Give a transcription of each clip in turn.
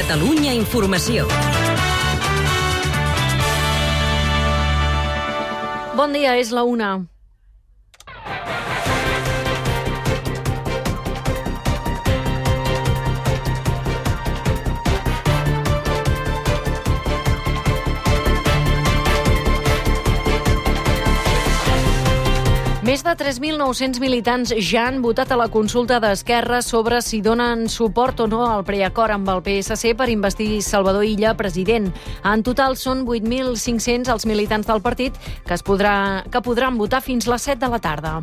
Catalunya Informació. Bon dia, és la 1. Més de 3.900 militants ja han votat a la consulta d'Esquerra sobre si donen suport o no al preacord amb el PSC per investir Salvador Illa president. En total són 8.500 els militants del partit que podran votar fins les 7 de la tarda.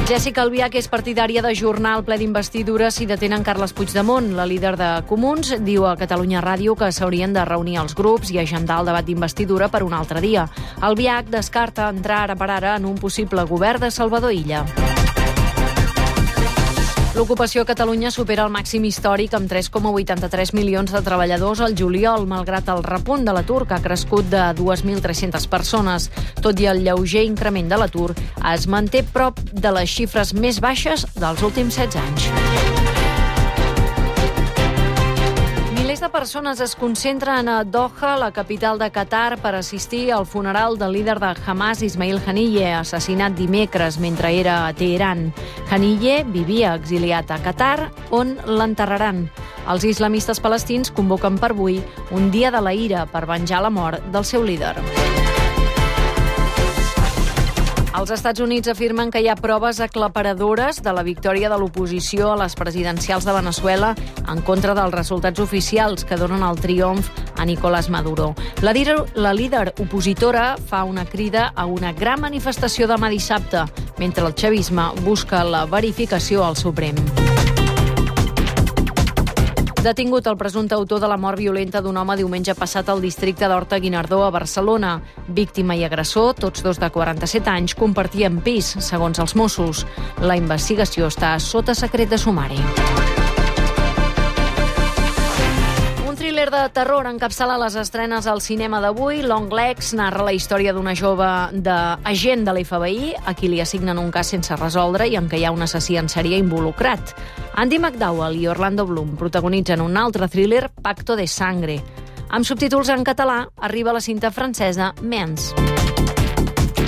Jessica Albiach és partidària d'ajornar el ple d'investidura si detenen Carles Puigdemont. La líder de Comuns diu a Catalunya Ràdio que s'haurien de reunir els grups i agendar el debat d'investidura per un altre dia. Albiach descarta entrar ara per ara en un possible govern de Salvador Illa. L'ocupació a Catalunya supera el màxim històric amb 3,83 milions de treballadors al juliol, malgrat el repunt de l'atur, que ha crescut de 2.300 persones. Tot i el lleuger increment de l'atur, es manté prop de les xifres més baixes dels últims 16 anys. Milers de persones es concentren a Doha, la capital de Qatar, per assistir al funeral del líder de Hamas, Ismail Haniyeh, assassinat dimecres mentre era a Teheran. Haniyeh vivia exiliat a Qatar, on l'enterraran. Els islamistes palestins convoquen per avui un dia de la ira per venjar la mort del seu líder. Els Estats Units afirmen que hi ha proves aclaparadores de la victòria de l'oposició a les presidencials de Venezuela en contra dels resultats oficials que donen el triomf a Nicolás Maduro. La líder opositora fa una crida a una gran manifestació demà dissabte, mentre el chavisme busca la verificació al Suprem. Detingut el presumpte autor de la mort violenta d'un home diumenge passat al districte d'Horta-Guinardó a Barcelona. Víctima i agressor, tots dos de 47 anys, compartien pis, segons els Mossos. La investigació està sota secret de sumari. Thriller de terror encapçala les estrenes al cinema d'avui. Long Legs narra la història d'una jove agent de l'FBI a qui li assignen un cas sense resoldre i en què hi ha un assassí en sèrie involucrat. Andy McDowell i Orlando Bloom protagonitzen un altre thriller, Pacto de Sangre. Amb subtítols en català arriba la cinta francesa Mens.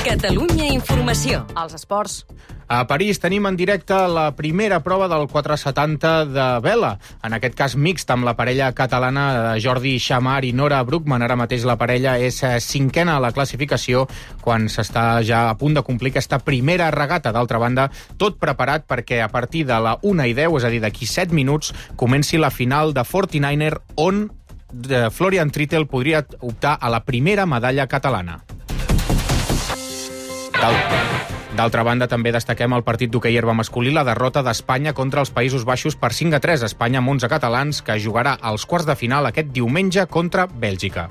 Catalunya Informació. Els esports. A París tenim en directe la primera prova del 470 de vela, en aquest cas mixt amb la parella catalana de Jordi Xamar i Nora Bruckmann. Ara mateix la parella és cinquena a la classificació quan s'està ja a punt de complir aquesta primera regata. D'altra banda, tot preparat perquè a partir de la 1:10, és a dir, d'aquí 7 minuts, comenci la final de 49er on Florian Trittel podria optar a la primera medalla catalana. D'altra banda, també destaquem el partit d'hoquei herba masculí, la derrota d'Espanya contra els Països Baixos per 5-3. Espanya amb 11 catalans, que jugarà als quarts de final aquest diumenge contra Bèlgica.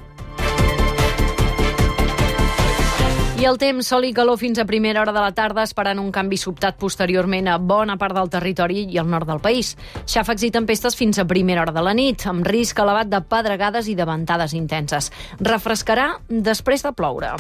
I el temps, sol i calor fins a primera hora de la tarda, esperant un canvi sobtat posteriorment a bona part del territori i al nord del país. Xàfecs i tempestes fins a primera hora de la nit, amb risc elevat de pedregades i de ventades intenses. Refrescarà després de ploure.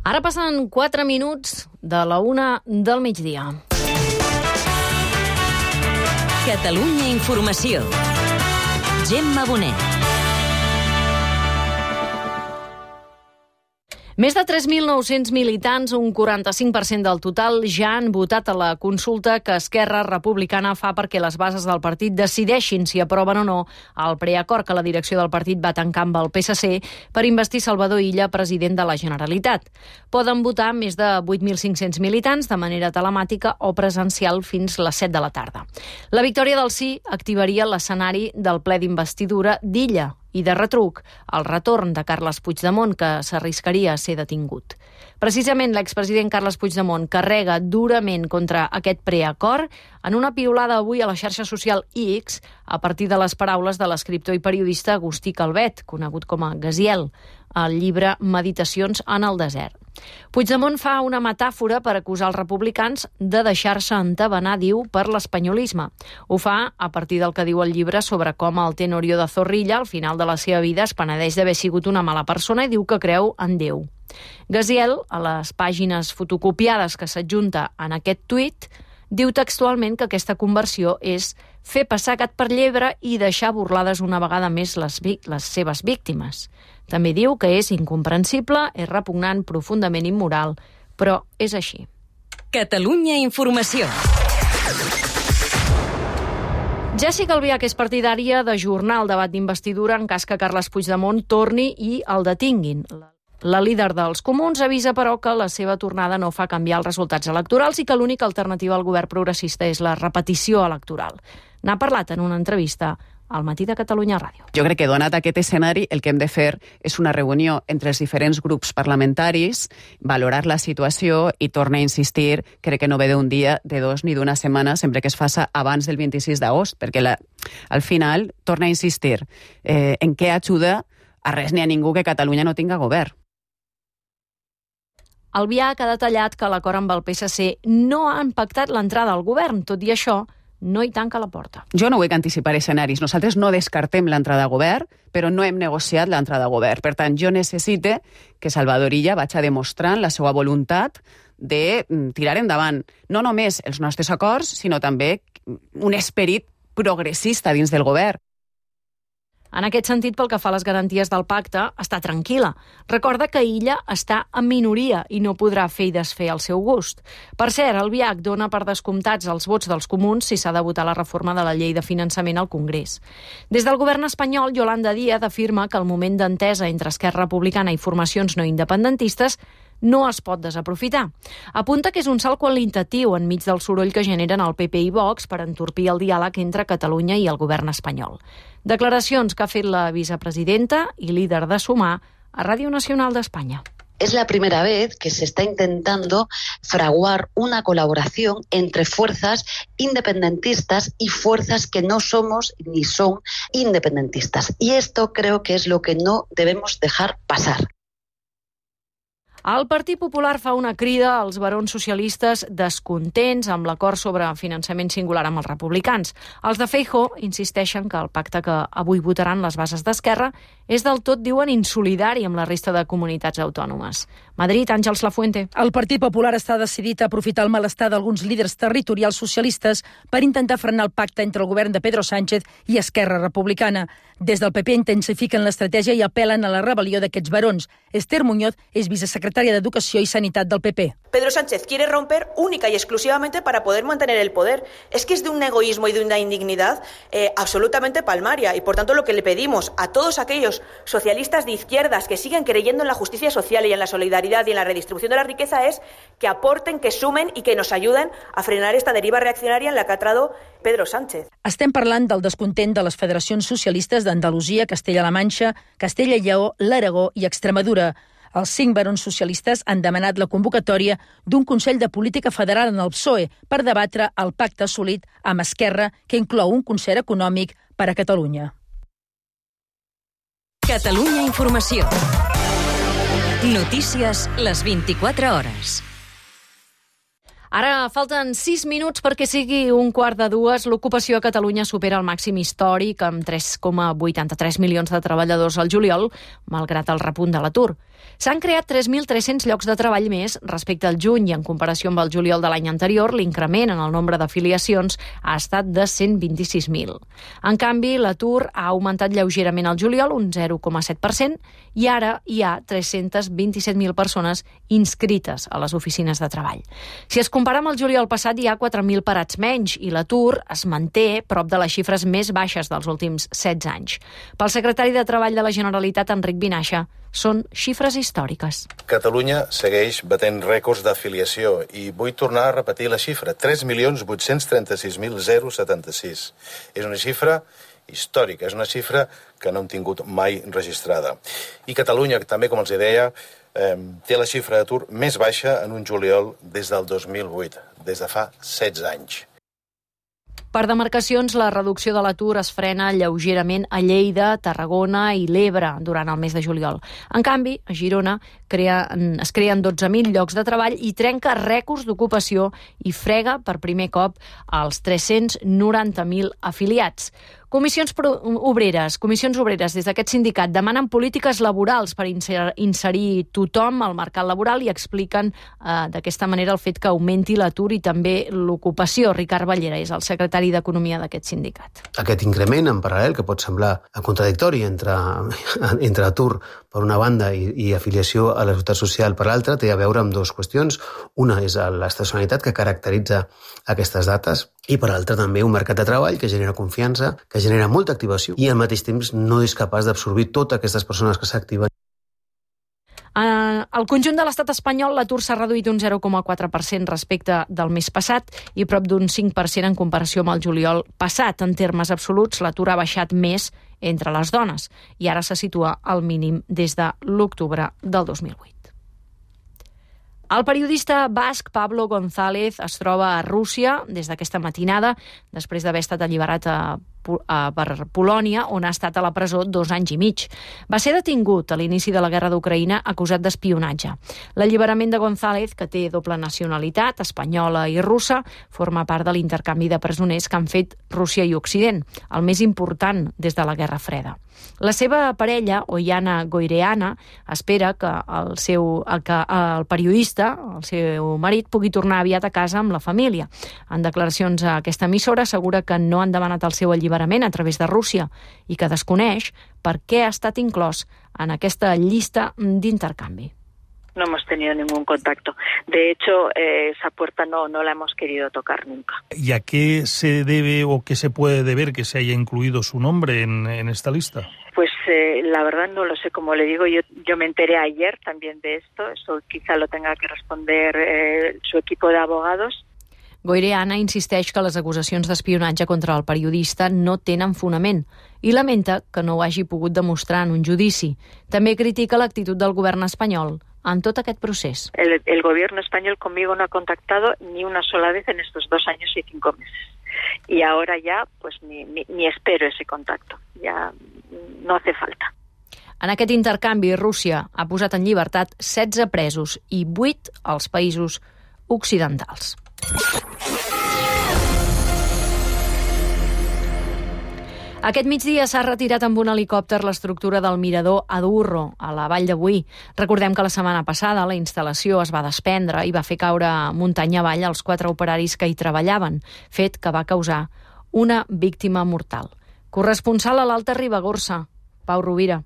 Ara passen 4 minuts de la 1 del migdia. Catalunya Informació. Gemma Bonet. Més de 3.900 militants, un 45% del total, ja han votat a la consulta que Esquerra Republicana fa perquè les bases del partit decideixin si aproven o no el preacord que la direcció del partit va tancar amb el PSC per investir Salvador Illa president de la Generalitat. Poden votar més de 8.500 militants de manera telemàtica o presencial fins les 7 de la tarda. La victòria del sí activaria l'escenari del ple d'investidura d'Illa. i, de retruc, el retorn de Carles Puigdemont, que s'arriscaria a ser detingut. Precisament l'expresident Carles Puigdemont carrega durament contra aquest preacord en una piulada avui a la xarxa social X a partir de les paraules de l'escriptor i periodista Agustí Calvet, conegut com a Gaziel, al llibre Meditacions en el desert. Puigdemont fa una metàfora per acusar els republicans de deixar-se entabanar, diu, per l'espanyolisme. Ho fa a partir del que diu el llibre sobre com el Tenorio de Zorrilla, al final de la seva vida, es penedeix d'haver sigut una mala persona i diu que creu en Déu. Gaziel, a les pàgines fotocopiades que s'adjunta en aquest tuit, diu textualment que aquesta conversió és fer passar gat per llebre i deixar burlades una vegada més les seves víctimes. També diu que és incomprensible, és repugnant, profundament immoral, però és així. Catalunya Informació. Jessica Albiach és partidària d'ajornar el debat d'investidura en cas que Carles Puigdemont torni i el detinguin. La líder dels Comuns avisa, però, que la seva tornada no fa canviar els resultats electorals i que l'única alternativa al govern progressista és la repetició electoral. N'ha parlat en una entrevista al Matí de Catalunya Ràdio. Jo crec que, donat aquest escenari, el que hem de fer és una reunió entre els diferents grups parlamentaris, valorar la situació i tornar a insistir, crec que no ve d'un dia, de dos ni d'una setmana, sempre que es faça abans del 26 d'agost, perquè al final torna a insistir en què ajuda a res ni a ningú que Catalunya no tinga govern. Albiach ha detallat que l'acord amb el PSC no ha impactat l'entrada al govern. Tot i això, no hi tanca la porta. Jo no vull anticipar escenaris. Nosaltres no descartem l'entrada a govern, però no hem negociat l'entrada a govern. Per tant, jo necessite que Salvador Illa vagi demostrant la seva voluntat de tirar endavant no només els nostres acords, sinó també un esperit progressista dins del govern. En aquest sentit, pel que fa a les garanties del pacte, està tranquil·la. Recorda que Illa està en minoria i no podrà fer i desfer al seu gust. Per cert, Albiach dona per descomptats els vots dels comuns si s'ha de votar la reforma de la llei de finançament al Congrés. Des del govern espanyol, Yolanda Díaz afirma que el moment d'entesa entre Esquerra Republicana i formacions no independentistes no es pot desaprofitar. Apunta que és un salt qualitatiu enmig del soroll que generen el PP i Vox per entorpir el diàleg entre Catalunya i el govern espanyol. Declaracions que ha fet la vicepresidenta i líder de Sumar a Ràdio Nacional d'Espanya. Es la primera vez que se está intentando fraguar una colaboración entre fuerzas independentistas y fuerzas que no somos ni son independentistas. Y esto creo que es lo que no debemos dejar pasar. El Partit Popular fa una crida als barons socialistes descontents amb l'acord sobre finançament singular amb els republicans. Els de Feijóo insisteixen que el pacte que avui votaran les bases d'Esquerra és del tot, diuen, insolidari amb la resta de comunitats autònomes. Madrid, Àngels Lafuente. El Partit Popular està decidit a aprofitar el malestar d'alguns líders territorials socialistes per intentar frenar el pacte entre el govern de Pedro Sánchez i Esquerra Republicana. Des del PP intensifiquen l'estratègia i apel·len a la rebel·lió d'aquests barons. Esther Muñoz és vicesecretària d'Educació i Sanitat del PP. Pedro Sánchez quiere romper única y exclusivamente para poder mantener el poder. Es que es de un egoísmo y de una indignidad absolutamente palmaria. Y por tanto lo que le pedimos a todos aquellos socialistas de izquierdas que siguen creyendo en la justicia social y en la solidaridad y en la redistribución de la riqueza es que aporten, que sumen y que nos ayuden a frenar esta deriva reaccionaria en la que ha entrado Pedro Sánchez. Estem parlant del descontent de les federacions socialistes d'Andalusia, Castella-La Manxa, Castella i Lleó, l'Aragó i Extremadura. Els 5 barons socialistes han demanat la convocatòria d'un Consell de Política Federal en el PSOE per debatre el pacte assolit amb Esquerra, que inclou un concert econòmic per a Catalunya. Catalunya Informació. Notícies les 24 hores. Ara falten 6 minuts perquè sigui 1:45. L'ocupació a Catalunya supera el màxim històric amb 3,83 milions de treballadors al juliol, malgrat el repunt de l'atur. S'han creat 3.300 llocs de treball més respecte al juny i en comparació amb el juliol de l'any anterior, l'increment en el nombre d'afiliacions ha estat de 126.000. En canvi, l'atur ha augmentat lleugerament al juliol, un 0,7%, i ara hi ha 327.000 persones inscrites a les oficines de treball. Si es compara amb el juliol passat, hi ha 4.000 parats menys i l'atur es manté prop de les xifres més baixes dels últims 16 anys. Pel secretari de Treball de la Generalitat, Enric Vinaixa, Són xifres històriques. Catalunya segueix batent rècords d'afiliació i vull tornar a repetir la xifra, 3.836.076. És una xifra històrica, és una xifra que no hem tingut mai registrada. I Catalunya, també, com els deia, té la xifra d'atur més baixa en un juliol des del 2008, des de fa 16 anys. Per demarcacions, la reducció de l'atur es frena lleugerament a Lleida, Tarragona i l'Ebre durant el mes de juliol. En canvi, a Girona es creen 12.000 llocs de treball i trenca rècords d'ocupació i frega per primer cop als 390.000 afiliats. Comissions obreres des d'aquest sindicat demanen polítiques laborals per inserir tothom al mercat laboral i expliquen d'aquesta manera el fet que augmenti l'atur i també l'ocupació. Ricard Ballera és el secretari d'Economia d'aquest sindicat. Aquest increment en paral·lel, que pot semblar contradictori entre atur per una banda i afiliació a la Seguretat Social per l'altra, té a veure amb dues qüestions. Una és l'estacionalitat que caracteritza aquestes dates i per l'altra també un mercat de treball que genera confiança, que genera molta activació i al mateix temps no és capaç d'absorbir totes aquestes persones que s'activen. Al conjunt de l'estat espanyol l'atur s'ha reduït un 0,4% respecte del mes passat i prop d'un 5% en comparació amb el juliol passat. En termes absoluts, l'atur ha baixat més entre les dones i ara se situa al mínim des de l'octubre del 2008. El periodista basc Pablo González es troba a Rússia des d'aquesta matinada, després d'haver estat alliberat per Polònia, on ha estat a la presó 2 anys i mig. Va ser detingut a l'inici de la guerra d'Ucraïna acusat d'espionatge. L'alliberament de González, que té doble nacionalitat, espanyola i russa, forma part de l'intercanvi de presoners que han fet Rússia i Occident, el més important des de la Guerra Freda. La seva parella, Oiana Goireana, espera que el periodista, el seu marit, pugui tornar aviat a casa amb la família. En declaracions a aquesta emissora assegura que no han demanat el seu alliberament a través de Rússia i que desconeix per què ha estat inclòs en aquesta llista d'intercanvi. No hemos tenido ningún contacto. De hecho, esa puerta no la hemos querido tocar nunca. ¿Y a qué se debe o qué se puede deber que se haya incluido su nombre en esta lista? Pues la verdad no lo sé. Como le digo, yo me enteré ayer también de esto. Eso quizá lo tenga que responder su equipo de abogados. Goireana insisteix que les acusacions d'espionatge contra el periodista no tenen fonament i lamenta que no ho hagi pogut demostrar en un judici. També critica l'actitud del govern espanyol en tot aquest procés. El gobierno español conmigo no ha contactado ni una sola vez en estos 2 años y 5 meses. Y ahora ya pues ni espero ese contacto. Ya no hace falta. En aquest intercanvi, Rússia ha posat en llibertat 16 presos i 8 als països occidentals. Aquest migdia s'ha retirat amb un helicòpter l'estructura del mirador a Durro, a la Vall de Boí. Recordem que la setmana passada la instal·lació es va desprendre i va fer caure muntanya avall els 4 operaris que hi treballaven, fet que va causar una víctima mortal. Corresponsal a l'Alta Ribagorça, Pau Rovira.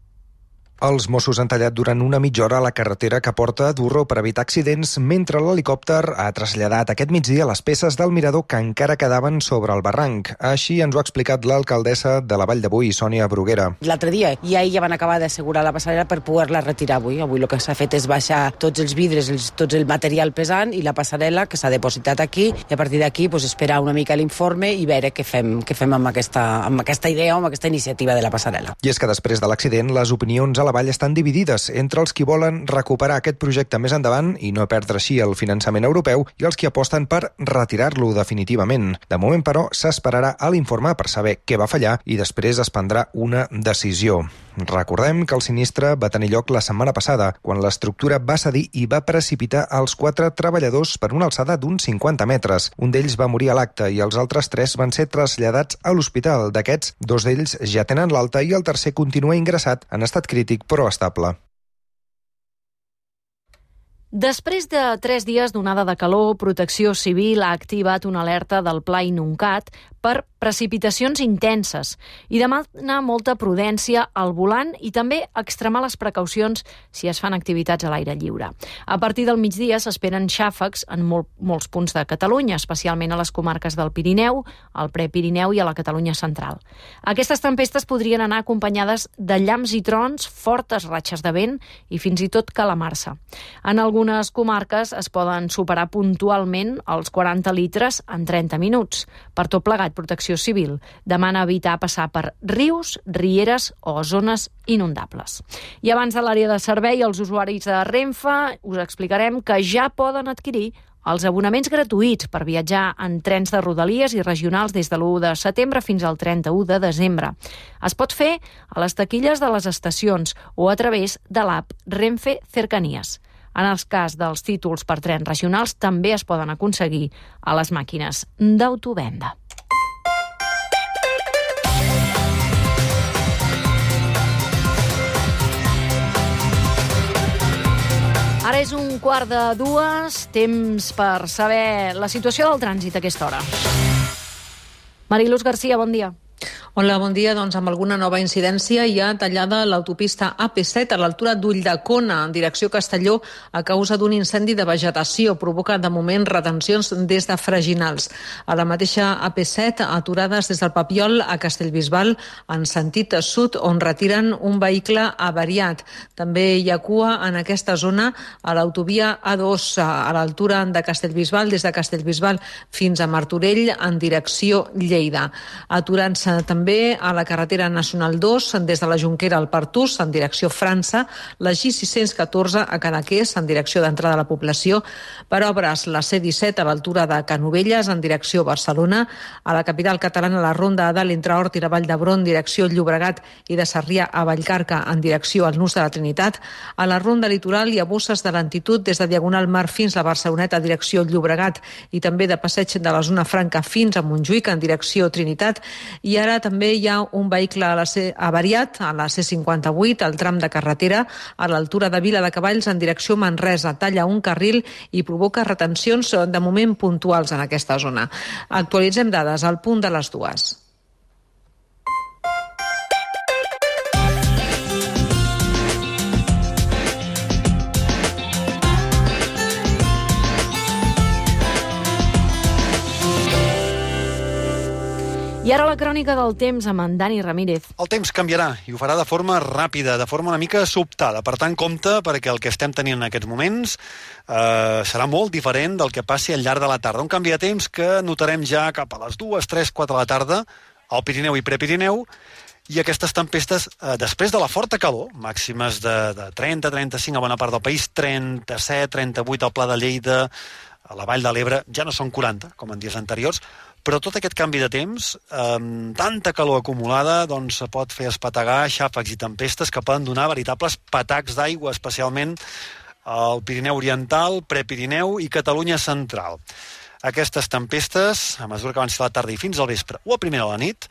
Els Mossos han tallat durant una mitja hora la carretera que porta a Durro per evitar accidents, mentre l'helicòpter ha traslladat aquest migdia les peces del mirador que encara quedaven sobre el barranc. Així ens ho ha explicat l'alcaldessa de la Vall de Boí, Sònia Bruguera. L'altre dia ja van acabar d'assegurar la passarel·la per poder-la retirar avui. Avui el que s'ha fet és baixar tots els vidres, tot el material pesant i la passarel·la que s'ha depositat aquí i a partir d'aquí esperar una mica l'informe i veure què fem amb aquesta idea o amb aquesta iniciativa de la passarel·la. I és que després de l'accident les opinions a la Vall estan dividides entre els qui volen recuperar aquest projecte més endavant i no perdre així el finançament europeu i els que aposten per retirar-lo definitivament. De moment, però, s'esperarà a l'informe per saber què va fallar i després es prendrà una decisió. Recordem que el sinistre va tenir lloc la setmana passada, quan l'estructura va cedir i va precipitar els 4 treballadors per una alçada d'uns 50 metres. Un d'ells va morir a l'acte i els altres 3 van ser traslladats a l'hospital. D'aquests, 2 d'ells ja tenen l'alta i el tercer continua ingressat en estat crític però estable. Després de 3 dies d'onada de calor, Protecció Civil ha activat una alerta del Pla Inuncat per precipitacions intenses i demana molta prudència al volant i també extremar les precaucions si es fan activitats a l'aire lliure. A partir del migdia s'esperen xàfecs en molts punts de Catalunya, especialment a les comarques del Pirineu, al Prepirineu i a la Catalunya central. Aquestes tempestes podrien anar acompanyades de llamps i trons, fortes ratxes de vent i fins i tot calamarsa. En algunes comarques es poden superar puntualment els 40 litres en 30 minuts. Per tot plegat, Protecció Civil demana evitar passar per rius, rieres o zones inundables. I abans de l'àrea de servei, els usuaris de Renfe us explicarem que ja poden adquirir els abonaments gratuïts per viatjar en trens de rodalies i regionals des de l'1 de setembre fins al 31 de desembre. Es pot fer a les taquilles de les estacions o a través de l'app Renfe Cercanías. En el cas dels títols per trens regionals també es poden aconseguir a les màquines d'autovenda. Ara és 1:15, temps per saber la situació del trànsit a aquesta hora. Mariluz García, bon dia. Hola, bon dia. Doncs amb alguna nova incidència hi ha tallada l'autopista AP7 a l'altura d'Ulldecona, en direcció Castelló, a causa d'un incendi de vegetació. Provoca, de moment, retencions des de Freginals. A la mateixa AP7, aturades des del Papiol a Castellbisbal, en sentit sud, on retiren un vehicle avariat. També hi ha cua en aquesta zona a l'autovia A2, a l'altura de Castellbisbal, des de Castellbisbal fins a Martorell, en direcció Lleida. Aturant-se també a la carretera nacional 2, des de la Jonquera al Pertús, en direcció França, la G614 a Cadaqués, en direcció d'entrada a la població, per obres la C17 a l'altura de Canovelles, en direcció Barcelona, a la capital catalana la ronda de l'entre Hort i la Vall d'Hebron, direcció Llobregat, i de Sarrià a Vallcarca, en direcció al Nus de la Trinitat, a la ronda litoral hi ha bosses de lentitud des de Diagonal Mar fins a Barceloneta, direcció Llobregat, i també de passeig de la zona franca fins a Montjuïc, en direcció Trinitat, i ara també hi ha un vehicle avariat a la C58, al tram de carretera, a l'altura de Vila de Cavalls, en direcció Manresa. Talla un carril i provoca retencions de moment puntuals en aquesta zona. Actualitzem dades al punt de les 2. I ara la crònica del temps amb en Dani Ramírez. El temps canviarà i ho farà de forma ràpida, de forma una mica sobtada. Per tant, compte, perquè el que estem tenint en aquests moments serà molt diferent del que passi al llarg de la tarda. Un canvi de temps que notarem ja cap a les 2, 3, 4 de la tarda al Pirineu i Prepirineu, i aquestes tempestes, després de la forta calor, màximes de 30, 35 a bona part del país, 37, 38 al Pla de Lleida, a la Vall de l'Ebre, ja no són 40, com en dies anteriors, però tot aquest canvi de temps, amb tanta calor acumulada, doncs pot fer espetegar xàfecs i tempestes que poden donar veritables patacs d'aigua, especialment al Pirineu Oriental, Prepirineu i Catalunya Central. Aquestes tempestes, a mesura que avanci la tarda i fins al vespre o a primera de la nit,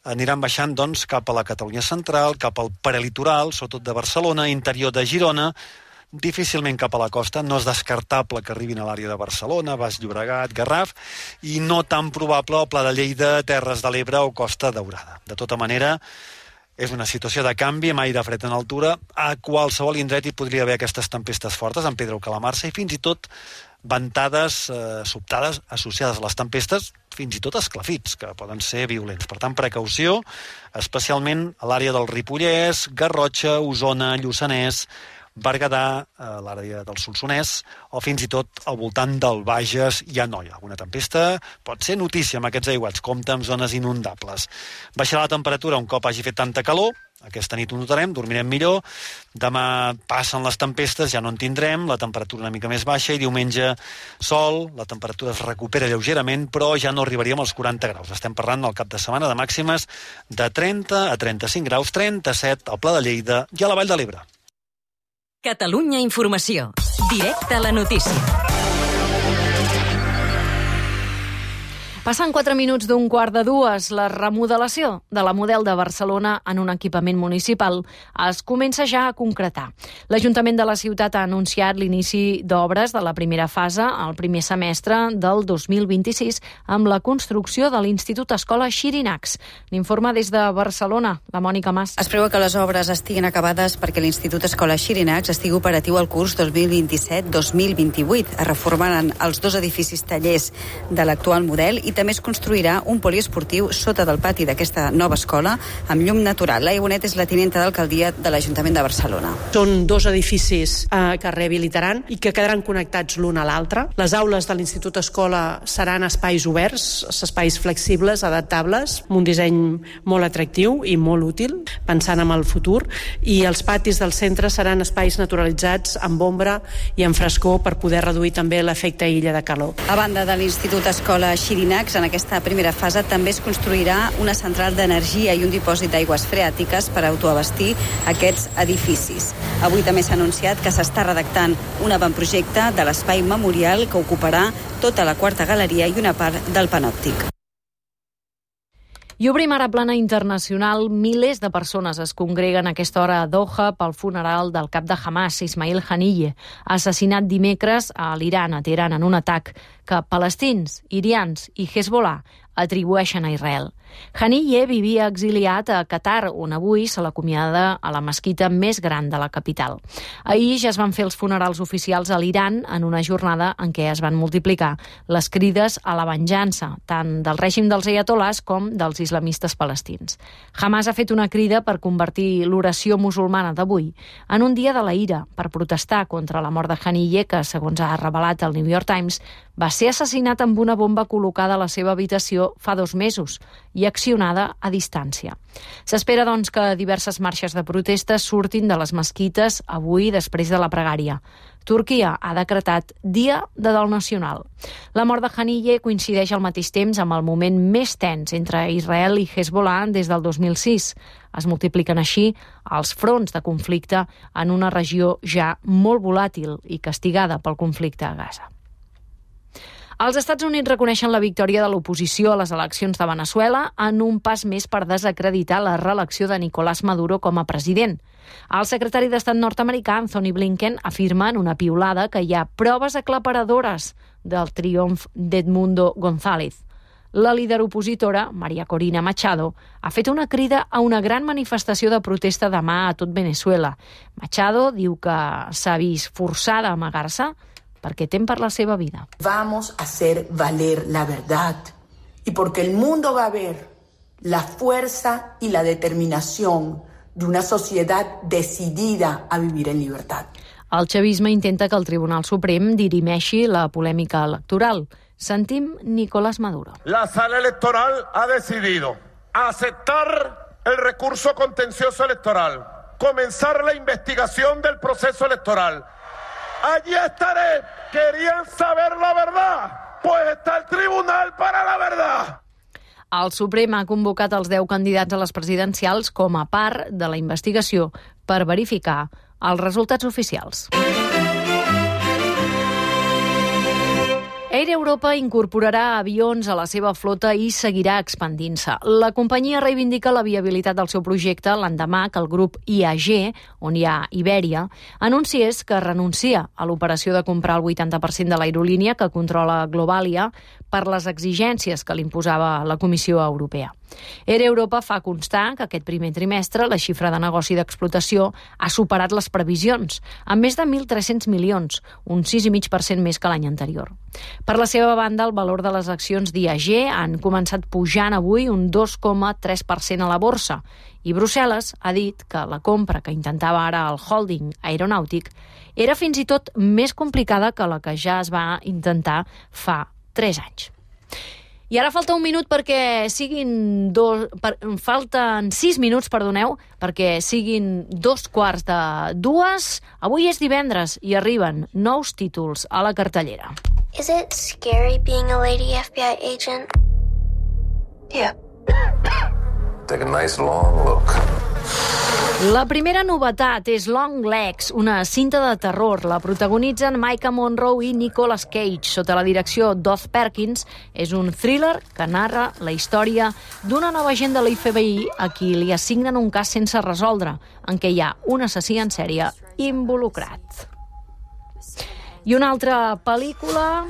aniran baixant doncs, cap a la Catalunya Central, cap al prelitoral, sobretot de Barcelona, interior de Girona, difícilment cap a la costa. No és descartable que arribin a l'àrea de Barcelona, Baix Llobregat, Garraf, i no tan probable al Pla de Lleida, Terres de l'Ebre o Costa Daurada. De tota manera, és una situació de canvi amb aire fred en altura. A qualsevol indret hi podria haver aquestes tempestes fortes, en Pedra o Calamarsa, i fins i tot ventades sobtades associades a les tempestes, fins i tot esclafits, que poden ser violents. Per tant, precaució, especialment a l'àrea del Ripollès, Garrotxa, Osona, Lluçanès, Berguedà, l'àrea del Solsonès, o fins i tot al voltant del Bages i Anoia. Alguna tempesta pot ser notícia amb aquests aiguats, compte amb zones inundables. Baixarà la temperatura un cop hagi fet tanta calor, aquesta nit ho notarem, dormirem millor, demà passen les tempestes, ja no en tindrem, la temperatura una mica més baixa, i diumenge sol, la temperatura es recupera lleugerament, però ja no arribaríem als 40 graus. Estem parlant del cap de setmana de màximes de 30 a 35 graus, 37 al Pla de Lleida i a la Vall de l'Ebre. Catalunya Informació. Directe a la notícia. Passen 4 minuts d'un 1:45. La remodelació de la Model de Barcelona en un equipament municipal es comença ja a concretar. L'Ajuntament de la ciutat ha anunciat l'inici d'obres de la primera fase al primer semestre del 2026 amb la construcció de l'Institut Escola Xirinacs. N'informa des de Barcelona la Mònica Mas. Es preveu que les obres estiguin acabades perquè l'Institut Escola Xirinacs estigui operatiu al curs 2027-2028. Es reformaran els 2 edificis tallers de l'actual model i també es construirà un poliesportiu sota del pati d'aquesta nova escola amb llum natural. Laia Bonet és la tinenta d'alcaldia de l'Ajuntament de Barcelona. Són 2 edificis que rehabilitaran i que quedaran connectats l'un a l'altre. Les aules de l'Institut Escola seran espais oberts, espais flexibles, adaptables, amb un disseny molt atractiu i molt útil, pensant en el futur, i els patis del centre seran espais naturalitzats amb ombra i amb frescor per poder reduir també l'efecte illa de calor. A banda de l'Institut Escola Xirinacs, en aquesta primera fase també es construirà una central d'energia i un dipòsit d'aigües freàtiques per autoabastir aquests edificis. Avui també s'ha anunciat que s'està redactant un avantprojecte de l'espai memorial que ocuparà tota la quarta galeria i una part del panòptic. I obrim ara plana internacional. Milers de persones es congreguen a aquesta hora a Doha pel funeral del cap de Hamas, Ismail Haniyeh, assassinat dimecres a l'Iran, a Teheran, en un atac que palestins, irians i Hezbollah atribueixen a Israel. Haniyeh vivia exiliat a Qatar, on avui se l'acomiada a la mesquita més gran de la capital. Ahir ja es van fer els funerals oficials a l'Iran en una jornada en què es van multiplicar les crides a la venjança, tant del règim dels ayatolars com dels islamistes palestins. Hamas ha fet una crida per convertir l'oració musulmana d'avui en un dia de la ira, per protestar contra la mort de Haniyeh, que, segons ha revelat el New York Times, va ser assassinat amb una bomba col·locada a la seva habitació fa 2 mesos i accionada a distància. S'espera, doncs, que diverses marxes de protesta surtin de les mesquites avui després de la pregària. Turquia ha decretat Dia de Dol Nacional. La mort de Haniyeh coincideix al mateix temps amb el moment més tens entre Israel i Hezbollah des del 2006. Es multipliquen així els fronts de conflicte en una regió ja molt volàtil i castigada pel conflicte a Gaza. Els Estats Units reconeixen la victòria de l'oposició a les eleccions de Veneçuela en un pas més per desacreditar la reelecció de Nicolás Maduro com a president. El secretari d'Estat nord-americà, Anthony Blinken, afirma en una piulada que hi ha proves aclaparadores del triomf d'Edmundo González. La líder opositora, María Corina Machado, ha fet una crida a una gran manifestació de protesta demà a tot Veneçuela. Machado diu que s'ha vist forçada a amagar-se perquè tem per la seva vida. Vamos a hacer valer la verdad y porque el mundo va a ver la fuerza y la determinación de una sociedad decidida a vivir en libertad. El chavisme intenta que el Tribunal Suprem dirimeixi la polèmica electoral. Sentim Nicolás Maduro. La sala electoral ha decidido aceptar el recurso contencioso electoral, comenzar la investigación del proceso electoral. Allí estaré. ¿Querían saber la verdad? Pues está el tribunal para la verdad. El Suprem ha convocat els 10 candidats a les presidencials com a part de la investigació per verificar els resultats oficials. Air Europa incorporarà avions a la seva flota i seguirà expandint-se. La companyia reivindica la viabilitat del seu projecte l'endemà que el grup IAG, on hi ha Ibèria, anunciés que renuncia a l'operació de comprar el 80% de l'aerolínia que controla Globalia per les exigències que li imposava la Comissió Europea. Air Europa fa constar que aquest primer trimestre la xifra de negoci d'explotació ha superat les previsions, amb més de 1.300 milions, un 6,5% més que l'any anterior. Per la seva banda, el valor de les accions d'IAG han començat pujant avui un 2,3% a la borsa i Brussel·les ha dit que la compra que intentava ara el holding aeronàutic era fins i tot més complicada que la que ja es va intentar fa 3 anys. I ara falta un minut perquè siguin falten 6 minuts, perdoneu, perquè siguin 2:45. Avui és divendres i arriben nous títols a la cartellera. Is it scary being a lady FBI agent? Yeah. Take a nice long look. La primera novetat és Long Legs, una cinta de terror. La protagonitzen Maika Monroe i Nicolas Cage, sota la direcció d'Oz Perkins. És un thriller que narra la història d'una nova agent de l'FBI a qui li assignen un cas sense resoldre, en què hi ha un assassí en sèrie involucrat. I una altra pel·lícula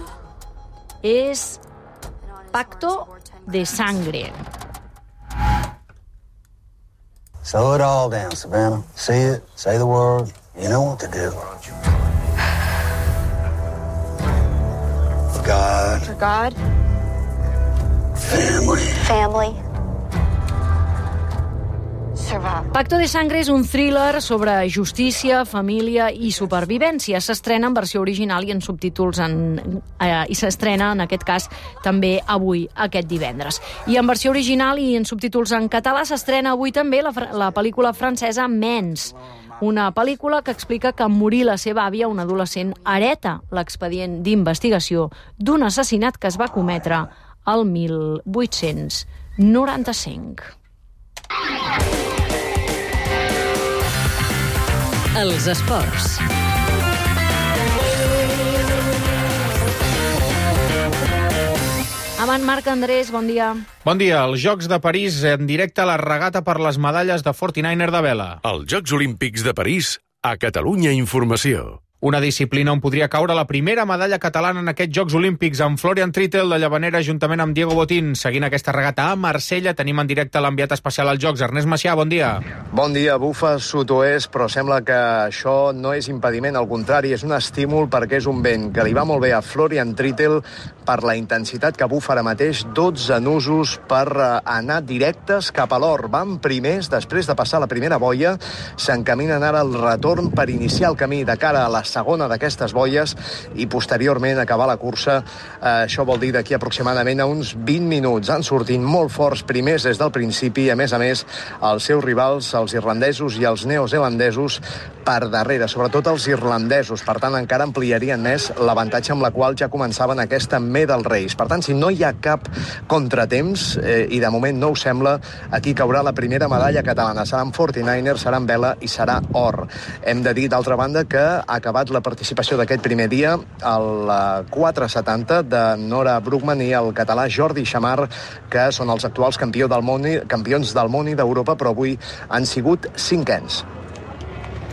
és Pacto de Sangre. Slow it all down, Savannah. Say it, say the word. You know what to do. For God. For God. Family. Family. Survival. Pacto de Sangre és un thriller sobre justícia, família i supervivència. S'estrena en versió original i en subtítols i s'estrena, en aquest cas, també avui, aquest divendres. I en versió original i en subtítols en català s'estrena avui també la pel·lícula francesa Mens, una pel·lícula que explica que en morir la seva àvia, un adolescent hereta l'expedient d'investigació d'un assassinat que es va cometre el 1895. Els esports. Avant, Marc Andrés, bon dia. Bon dia. Els Jocs de París en directe a la regata per les medalles de 49er de vela. Els Jocs Olímpics de París, a Catalunya Informació. Una disciplina on podria caure la primera medalla catalana en aquests Jocs Olímpics, amb Florian Trittel de Llavanera juntament amb Diego Botín. Seguint aquesta regata a Marsella, tenim en directe l'enviat especial als Jocs, Ernest Macià, bon dia. Bon dia, bufa sud-oest, però sembla que això no és impediment, al contrari, és un estímul perquè és un vent que li va molt bé a Florian Trittel per la intensitat que bufa ara mateix, 12 nusos per anar directes cap a l'or. Van primers, després de passar la primera boia, s'encaminen ara al retorn per iniciar el camí de cara a la segona d'aquestes boies i posteriorment acabar la cursa. Això vol dir d'aquí aproximadament a uns 20 minuts. Han sortit molt forts primers des del principi, a més, els seus rivals, els irlandesos i els neozelandesos, per darrere, sobretot els irlandesos. Per tant, encara ampliarien més l'avantatge amb la qual ja començaven aquesta medal race. Per tant, si no hi ha cap contratemps, i de moment no ho sembla, aquí caurà la primera medalla catalana. Serà en 49er, serà en vela i serà or. Hem de dir, d'altra banda, que ha acabat la participació d'aquest primer dia al 470 de Nora Brookman i el català Jordi Xamar, que són els actuals campions del món i d'Europa, però avui han sigut cinquens.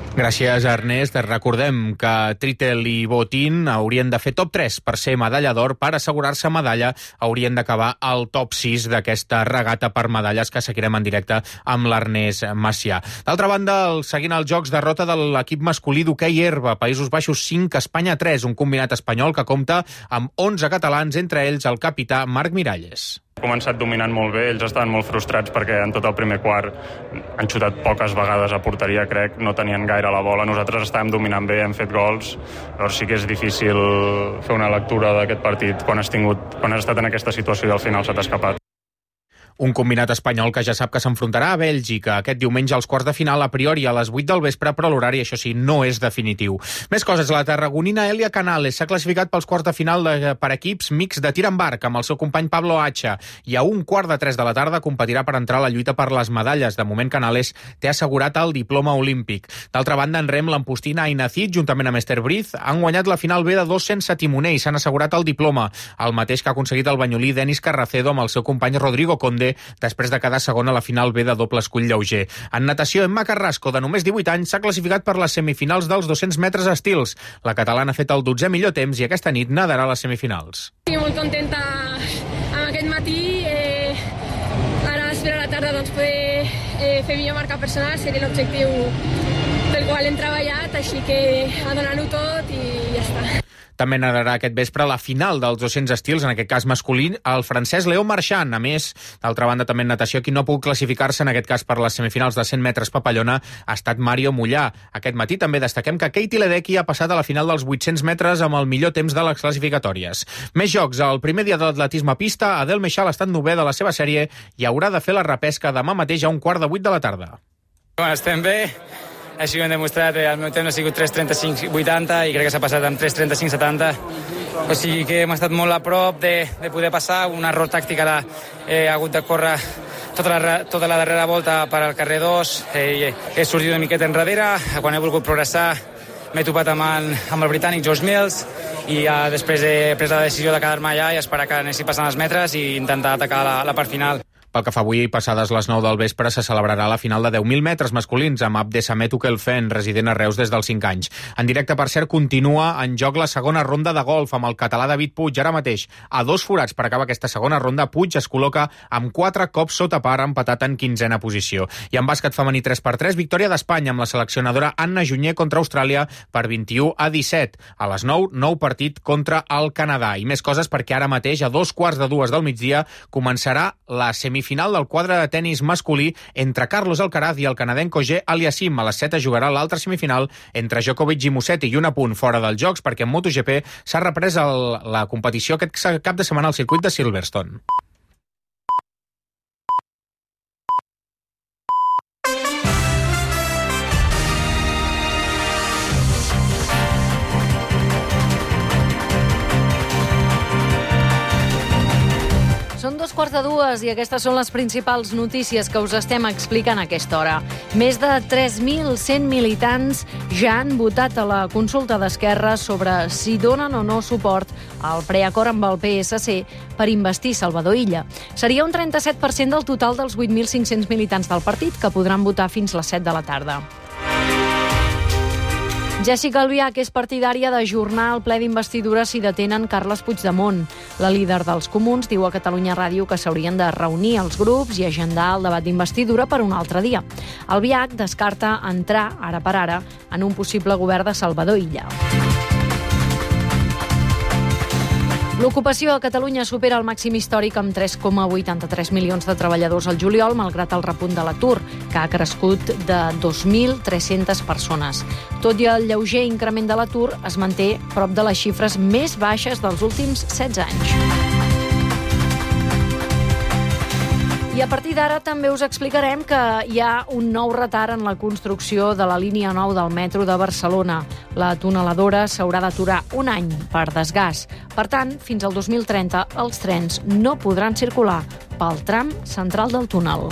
Gràcies, Ernest. Recordem que Trittel i Botín haurien de fer top 3 per ser medalla d'or. Per assegurar-se medalla haurien d'acabar al top 6 d'aquesta regata per medalles que seguirem en directe amb l'Ernest Macià. D'altra banda, seguint els Jocs, derrota de l'equip masculí d'hoquei herba. Països Baixos 5, Espanya 3, un combinat espanyol que compta amb 11 catalans, entre ells el capità Marc Miralles. Ha començat dominant molt bé, ells estaven molt frustrats perquè en tot el primer quart han xutat poques vegades a porteria, crec, no tenien gaire la bola. Nosaltres estàvem dominant bé, hem fet gols, però sí que és difícil fer una lectura d'aquest partit quan has estat en aquesta situació i al final se t'ha escapat. Un combinat espanyol que ja sap que s'enfrontarà a Bèlgica aquest diumenge als quarts de final, a priori a les 8 del vespre, però l'horari, això sí, no és definitiu. Més coses, la tarragonina Elia Canales s'ha classificat pels quarts de final per equips mix de tir amb arc amb el seu company Pablo Hacha, i a 2:45 de la tarda competirà per entrar a la lluita per les medalles. De moment, Canales té assegurat el diploma olímpic. D'altra banda, en rem, l'empostina Aina Cid, juntament amb Esther Briz, han guanyat la final B de 2 sense timoner i s'han assegurat el diploma, el mateix que ha aconseguit el banyolí Denis Carracedo amb el seu company Rodrigo Conde, després de quedar segon a la final B de doble escull lleuger. En natació, Emma Carrasco, de només 18 anys, s'ha classificat per les semifinals dels 200 metres estils. La catalana ha fet el 12è millor temps i aquesta nit nadarà a les semifinals. Estic molt contenta amb aquest matí. Ara espero a la tarda poder fer millor marca personal, seria l'objectiu pel qual hem treballat, així que a donar-ho tot i ja està. També nadarà aquest vespre la final dels 200 estils, en aquest cas masculí, el francès Léo Marchand. A més, d'altra banda, també en natació, qui no ha pogut classificar-se, en aquest cas per les semifinals de 100 metres papallona, ha estat Mario Mollà. Aquest matí també destaquem que Katie Ledecky ha passat a la final dels 800 metres amb el millor temps de les classificatòries. Més jocs. El primer dia de l'atletisme a pista, Adel Meixal ha estat 9è de la seva sèrie i haurà de fer la repesca demà mateix a 7:15 de la tarda. Bueno, estem bé. Així ho hem demostrat, el meu temps ha sigut 3:35.80 i crec que s'ha passat amb 3:35.70. O sigui que hem estat molt a prop de poder passar. Un error tàctic, ara he hagut de córrer tota la darrera volta per al carrer 2 he sortit una miqueta enrere. Quan he volgut progressar m'he topat amb el britànic George Mills i després he pres la decisió de quedar-me allà i esperar que anessi passant els metres i intentar atacar la part final. Pel que fa avui, passades les 9 del vespre, se celebrarà la final de 10.000 metres masculins amb Abdesamet Ukelfen, resident a Reus des dels 5 anys. En directe, per cert, continua en joc la segona ronda de golf amb el català David Puig. Ara mateix, a 2 forats per acabar aquesta segona ronda, Puig es col·loca amb 4 cops sota par, empatat en 15a posició. I en bàsquet femení 3x3, victòria d'Espanya amb la seleccionadora Anna Junyer contra Austràlia per 21-17. A les 9, nou partit contra el Canadà. I més coses perquè ara mateix, a 2:15 del migdia, començarà la semifinal del quadre de tenis masculí entre Carlos Alcaraz i el canadenc Auger Aliassime. A les 7 jugarà l'altra semifinal entre Djokovic i Musetti, i un apunt fora dels Jocs perquè en MotoGP s'ha reprès la competició aquest cap de setmana al circuit de Silverstone. Són 2:15 i aquestes són les principals notícies que us estem explicant a aquesta hora. Més de 3.100 militants ja han votat a la consulta d'Esquerra sobre si donen o no suport al preacord amb el PSC per investir Salvador Illa. Seria un 37% del total dels 8.500 militants del partit que podran votar fins les 7 de la tarda. Jessica Albiach és partidària d'ajornar el ple d'investidura si detenen Carles Puigdemont. La líder dels Comuns diu a Catalunya Ràdio que s'haurien de reunir els grups i agendar el debat d'investidura per un altre dia. Albiach descarta entrar, ara per ara, en un possible govern de Salvador Illa. L'ocupació a Catalunya supera el màxim històric amb 3,83 milions de treballadors al juliol, malgrat el repunt de l'atur, que ha crescut de 2.300 persones. Tot i el lleuger increment de l'atur, es manté prop de les xifres més baixes dels últims 16 anys. I a partir d'ara també us explicarem que hi ha un nou retard en la construcció de la línia 9 del metro de Barcelona. La tuneladora s'haurà d'aturar un any per desgast. Per tant, fins al 2030 els trens no podran circular pel tram central del túnel.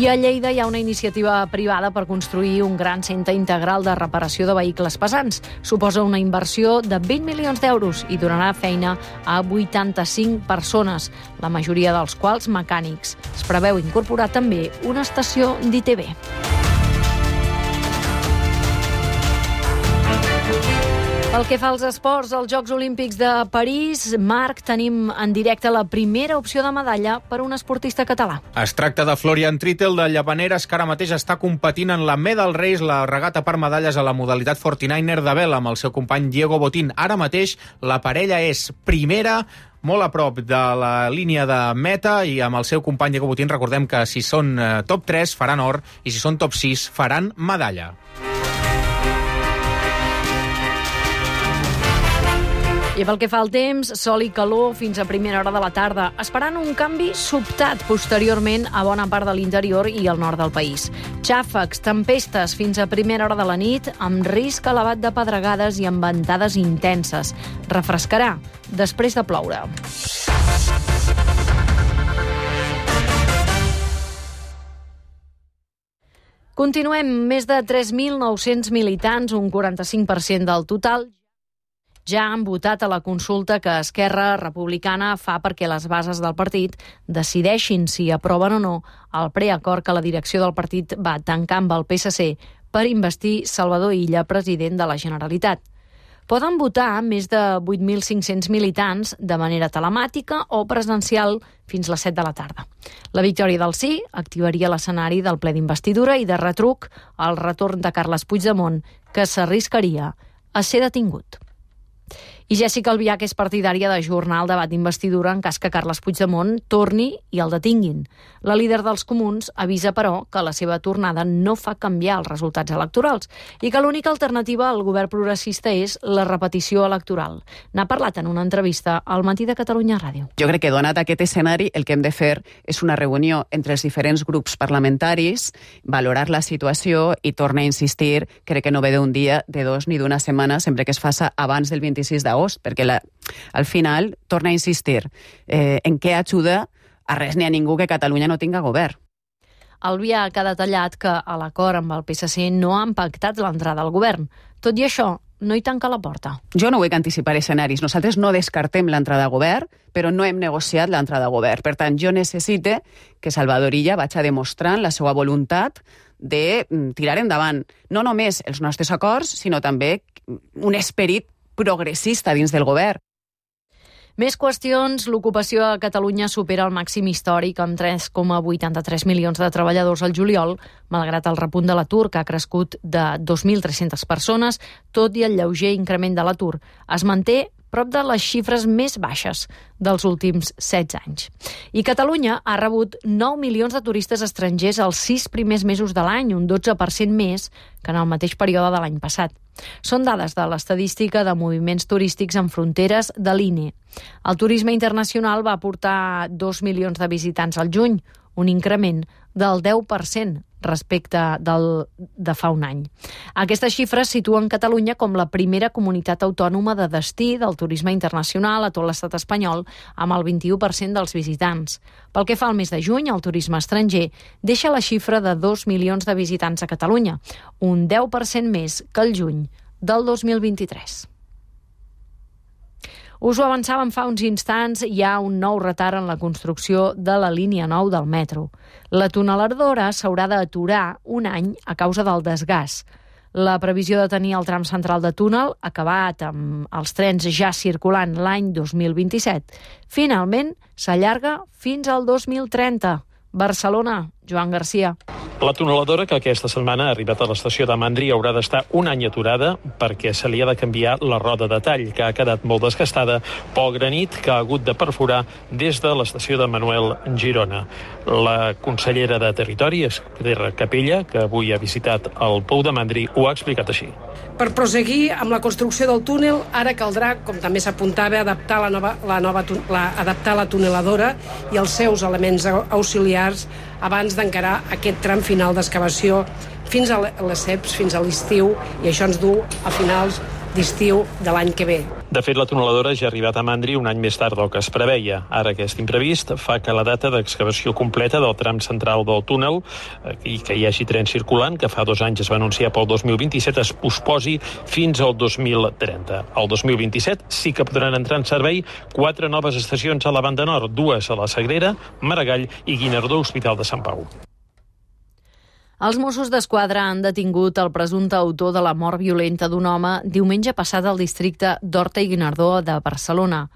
I a Lleida hi ha una iniciativa privada per construir un gran centre integral de reparació de vehicles pesants. Suposa una inversió de 20 milions d'euros i donarà feina a 85 persones, la majoria dels quals mecànics. Es preveu incorporar també una estació d'ITV. Pel que fa als esports, als Jocs Olímpics de París, Marc, tenim en directe la primera opció de medalla per un esportista català. Es tracta de Florian Trittel, de Llavaneres, que ara mateix està competint en la Medal Race, la regata per medalles a la modalitat 49er de vela, amb el seu company Diego Botín. Ara mateix la parella és primera, molt a prop de la línia de meta, i amb el seu company Diego Botín recordem que si són top 3 faran or i si són top 6 faran medalla. I pel que fa al temps, sol i calor fins a primera hora de la tarda, esperant un canvi sobtat posteriorment a bona part de l'interior i al nord del país. Xàfecs, tempestes fins a primera hora de la nit, amb risc elevat de pedregades i amb ventades intenses. Refrescarà després de ploure. Continuem. Més de 3.900 militants, un 45% del total, ja han votat a la consulta que Esquerra Republicana fa perquè les bases del partit decideixin si aproven o no el preacord que la direcció del partit va tancar amb el PSC per investir Salvador Illa president de la Generalitat. Poden votar més de 8.500 militants de manera telemàtica o presencial fins les 7 de la tarda. La victòria del sí activaria l'escenari del ple d'investidura i de retruc el retorn de Carles Puigdemont, que s'arriscaria a ser detingut. I Jessica Albiach és partidària d'ajornar el debat d'investidura en cas que Carles Puigdemont torni i el detinguin. La líder dels Comuns avisa, però, que la seva tornada no fa canviar els resultats electorals i que l'única alternativa al govern progressista és la repetició electoral. N'ha parlat en una entrevista al Matí de Catalunya Ràdio. Jo crec que, donat aquest escenari, el que hem de fer és una reunió entre els diferents grups parlamentaris, valorar la situació i tornar a insistir, crec que no ve d'un dia, de dos ni d'una setmana, sempre que es faça abans del 26 d'agost. d'agost, perquè al final, torna a insistir, en què ajuda a res ni a ningú que Catalunya no tinga govern. Albiach ha detallat que a l'acord amb el PSC no han pactat l'entrada al govern. Tot i això, no hi tanca la porta. Jo no vull anticipar escenaris. Nosaltres no descartem l'entrada a govern, però no hem negociat l'entrada a govern. Per tant, jo necessite que Salvador Illa vagi demostrant la seva voluntat de tirar endavant no només els nostres acords, sinó també un esperit progressista dins del govern. Més qüestions. L'ocupació a Catalunya supera el màxim històric amb 3,83 milions de treballadors al juliol, malgrat el repunt de l'atur, que ha crescut de 2.300 persones, tot i el lleuger increment de l'atur. Es manté prop de les xifres més baixes dels últims 16 anys. I Catalunya ha rebut 9 milions de turistes estrangers els 6 primers mesos de l'any, un 12% més que en el mateix període de l'any passat. Són dades de l'estadística de moviments turístics en fronteres de l'INE. El turisme internacional va aportar 2 milions de visitants al juny, un increment del 10% respecte de fa un any. Aquestes xifres situen Catalunya com la primera comunitat autònoma de destí del turisme internacional a tot l'estat espanyol, amb el 21% dels visitants. Pel que fa al mes de juny, el turisme estranger deixa la xifra de 2 milions de visitants a Catalunya, un 10% més que el juny del 2023. Us ho avançàvem fa uns instants, hi ha un nou retard en la construcció de la línia 9 del metro. La tuneladora s'haurà d'aturar un any a causa del desgast. La previsió de tenir el tram central de túnel acabat amb els trens ja circulant l'any 2027. Finalment, s'allarga fins al 2030. Barcelona, Joan Garcia. La tuneladora, que aquesta setmana ha arribat a l'estació de Mandri, haurà d'estar un any aturada perquè se li ha de canviar la roda de tall, que ha quedat molt desgastada pel granit que ha hagut de perforar des de l'estació de Manuel Girona. La consellera de Territori, Esther Capella, que avui ha visitat el Pou de Mandri, ho ha explicat així. Per proseguir amb la construcció del túnel, ara caldrà, com també s'apuntava, adaptar la tuneladora i els seus elements auxiliars abans d'encarar aquest tram final d'excavació fins a les CEPs, fins a l'estiu, i això ens du a finals d'estiu de l'any que ve. De fet, la tuneladora ja ha arribat a Mandri un any més tard del que es preveia. Ara aquest imprevist fa que la data d'excavació completa del tram central del túnel i que hi hagi tren circulant, que fa 2 anys es va anunciar pel 2027, es posposi fins al 2030. El 2027 sí que podran entrar en servei 4 noves estacions a la banda nord, 2 a la Sagrera, Maragall i Guinardó, Hospital de Sant Pau. Els Mossos d'Esquadra han detingut el presumpte autor de la mort violenta d'un home diumenge passat al districte d'Horta i Guinardó de Barcelona.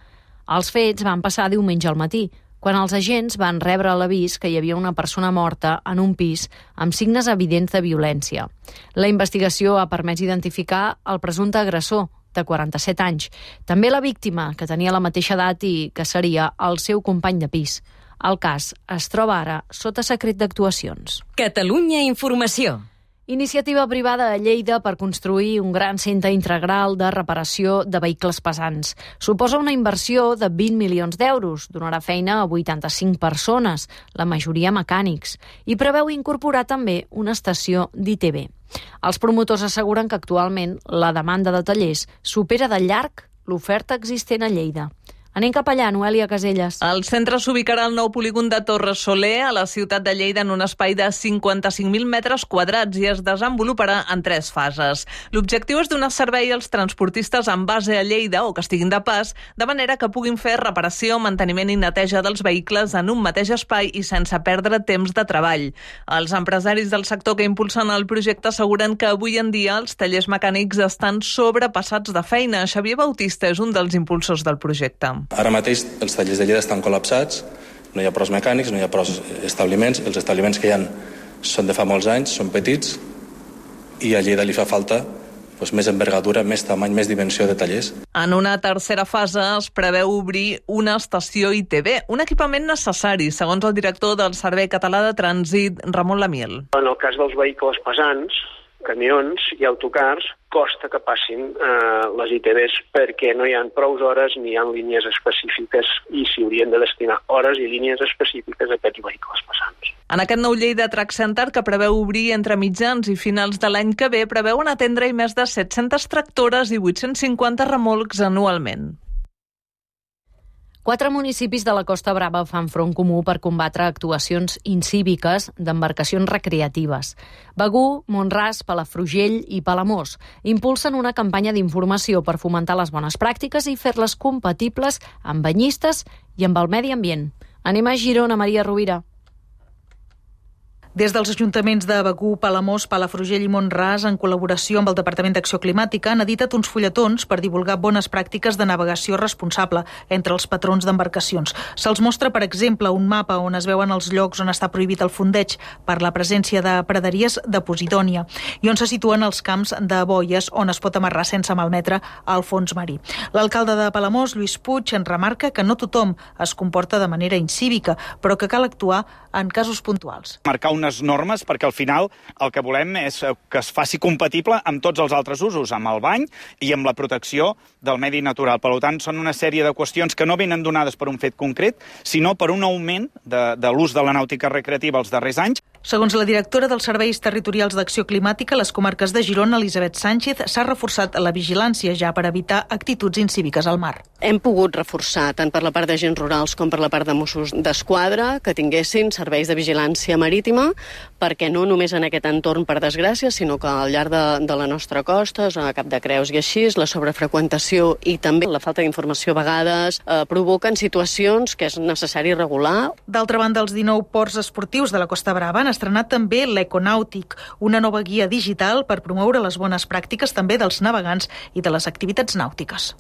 Els fets van passar diumenge al matí, quan els agents van rebre l'avís que hi havia una persona morta en un pis amb signes evidents de violència. La investigació ha permès identificar el presumpte agressor, de 47 anys. També la víctima, que tenia la mateixa edat i que seria el seu company de pis. El cas es troba ara sota secret d'actuacions. Catalunya Informació. Iniciativa privada a Lleida per construir un gran centre integral de reparació de vehicles pesants. Suposa una inversió de 20 milions d'euros, donarà feina a 85 persones, la majoria mecànics, i preveu incorporar també una estació d'ITV. Els promotors asseguren que actualment la demanda de tallers supera de llarg l'oferta existent a Lleida. Anem cap allà, Noelia Caselles. El centre s'ubicarà al nou polígon de Torres Soler, a la ciutat de Lleida, en un espai de 55.000 metres quadrats i es desenvoluparà en 3 fases. L'objectiu és donar servei als transportistes amb base a Lleida o que estiguin de pas, de manera que puguin fer reparació, manteniment i neteja dels vehicles en un mateix espai i sense perdre temps de treball. Els empresaris del sector que impulsen el projecte asseguren que avui en dia els tallers mecànics estan sobrepassats de feina. Xavier Bautista és un dels impulsors del projecte. Ara mateix els tallers de Lleida estan col·lapsats, no hi ha prous mecànics, no hi ha prous establiments, els establiments que hi ha són de fa molts anys, són petits, i a Lleida li fa falta més envergadura, més tamany, més dimensió de tallers. En una tercera fase es preveu obrir una estació ITV, un equipament necessari, segons el director del Servei Català de Trànsit, Ramon Lamiel. En el cas dels vehicles pesants, camions i autocars, costa que passin les ITVs perquè no hi ha prou hores ni hi ha línies específiques i s'hi haurien de destinar hores i línies específiques a aquests vehicles pesants. En aquest nou Lleida Track Center, que preveu obrir entre mitjans i finals de l'any que ve, preveuen atendre-hi més de 700 tractores i 850 remolcs anualment. 4 municipis de la Costa Brava fan front comú per combatre actuacions incíviques d'embarcacions recreatives. Begur, Mont-ras, Palafrugell i Palamós impulsen una campanya d'informació per fomentar les bones pràctiques i fer-les compatibles amb banyistes i amb el medi ambient. Anem a Girona, Maria Rovira. Des dels ajuntaments de Begur, Palamós, Palafrugell i Mont-ras, en col·laboració amb el Departament d'Acció Climàtica, han editat uns fulletons per divulgar bones pràctiques de navegació responsable entre els patrons d'embarcacions. Se'ls mostra, per exemple, un mapa on es veuen els llocs on està prohibit el fondeig per la presència de praderies de posidònia i on se situen els camps de boies on es pot amarrar sense malmetre el fons marí. L'alcalde de Palamós, Lluís Puig, en remarca que no tothom es comporta de manera incívica, però que cal actuar en casos puntuals. Marcar unes normes perquè al final el que volem és que es faci compatible amb tots els altres usos, amb el bany i amb la protecció del medi natural. Per tant, són una sèrie de qüestions que no venen donades per un fet concret, sinó per un augment de l'ús de la nàutica recreativa els darrers anys. Segons la directora dels Serveis Territorials d'Acció Climàtica, les comarques de Girona, Elisabet Sánchez, s'ha reforçat la vigilància ja per evitar actituds incíviques al mar. Hem pogut reforçar tant per la part d'agents rurals com per la part de Mossos d'Esquadra que tinguessin serveis de vigilància marítima, perquè no només en aquest entorn, per desgràcia, sinó que al llarg de la nostra costa, a Cap de Creus i així, la sobrefreqüentació i també la falta d'informació a vegades provoquen situacions que és necessari regular. D'altra banda, els 19 ports esportius de la Costa Brava han estrenat també l'Econàutic, una nova guia digital per promoure les bones pràctiques també dels navegants i de les activitats nàutiques.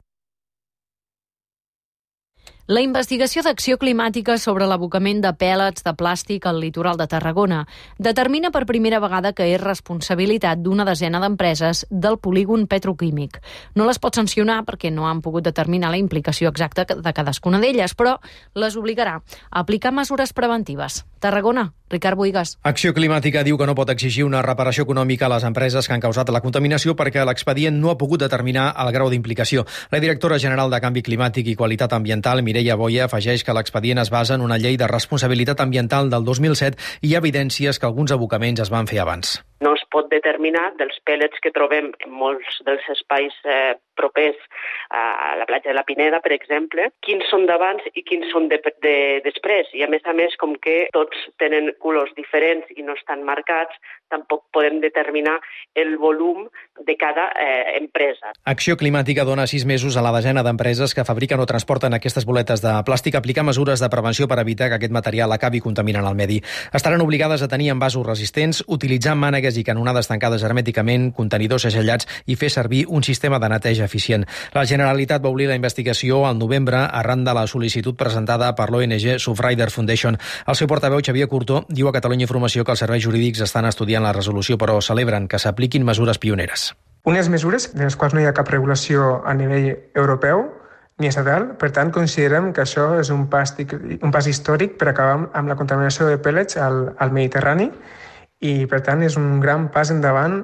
La investigació d'Acció Climàtica sobre l'abocament de pèl·lets de plàstic al litoral de Tarragona determina per primera vegada que és responsabilitat d'una desena d'empreses del polígon petroquímic. No les pot sancionar perquè no han pogut determinar la implicació exacta de cadascuna d'elles, però les obligarà a aplicar mesures preventives. Tarragona, Ricard Boigas. Acció Climàtica diu que no pot exigir una reparació econòmica a les empreses que han causat la contaminació perquè l'expedient no ha pogut determinar el grau d'implicació. La directora general de Canvi Climàtic i Qualitat Ambiental, Mireia Boia, afegeix que l'expedient es basa en una llei de responsabilitat ambiental del 2007 i hi ha evidències que alguns abocaments es van fer abans. No es pot determinar dels pèl·lets que trobem en molts dels espais propers a la platja de la Pineda, per exemple, quins són d'abans i quins són de després. I a més, com que tots tenen colors diferents i no estan marcats, tampoc podem determinar el volum de cada empresa. Acció Climàtica dona 6 mesos a la desena d'empreses que fabriquen o transporten aquestes boletes de plàstic a aplicar mesures de prevenció per evitar que aquest material acabi contaminant el medi. Estaran obligades a tenir envasos resistents, utilitzar mànegues i canonades tancades hermèticament, contenidors segellats i fer servir un sistema de neteja eficient. La Generalitat va obrir la investigació al novembre arran de la sol·licitud presentada per l'ONG Surfrider Foundation. El seu portaveu, Xavier Curto, diu a Catalunya Informació que els serveis jurídics estan estudiant la resolució, però celebren que s'apliquin mesures pioneres. Unes mesures de les quals no hi ha cap regulació a nivell europeu ni estatal, per tant considerem que això és un pas històric per acabar amb la contaminació de pèl·lets al Mediterrani i per tant és un gran pas endavant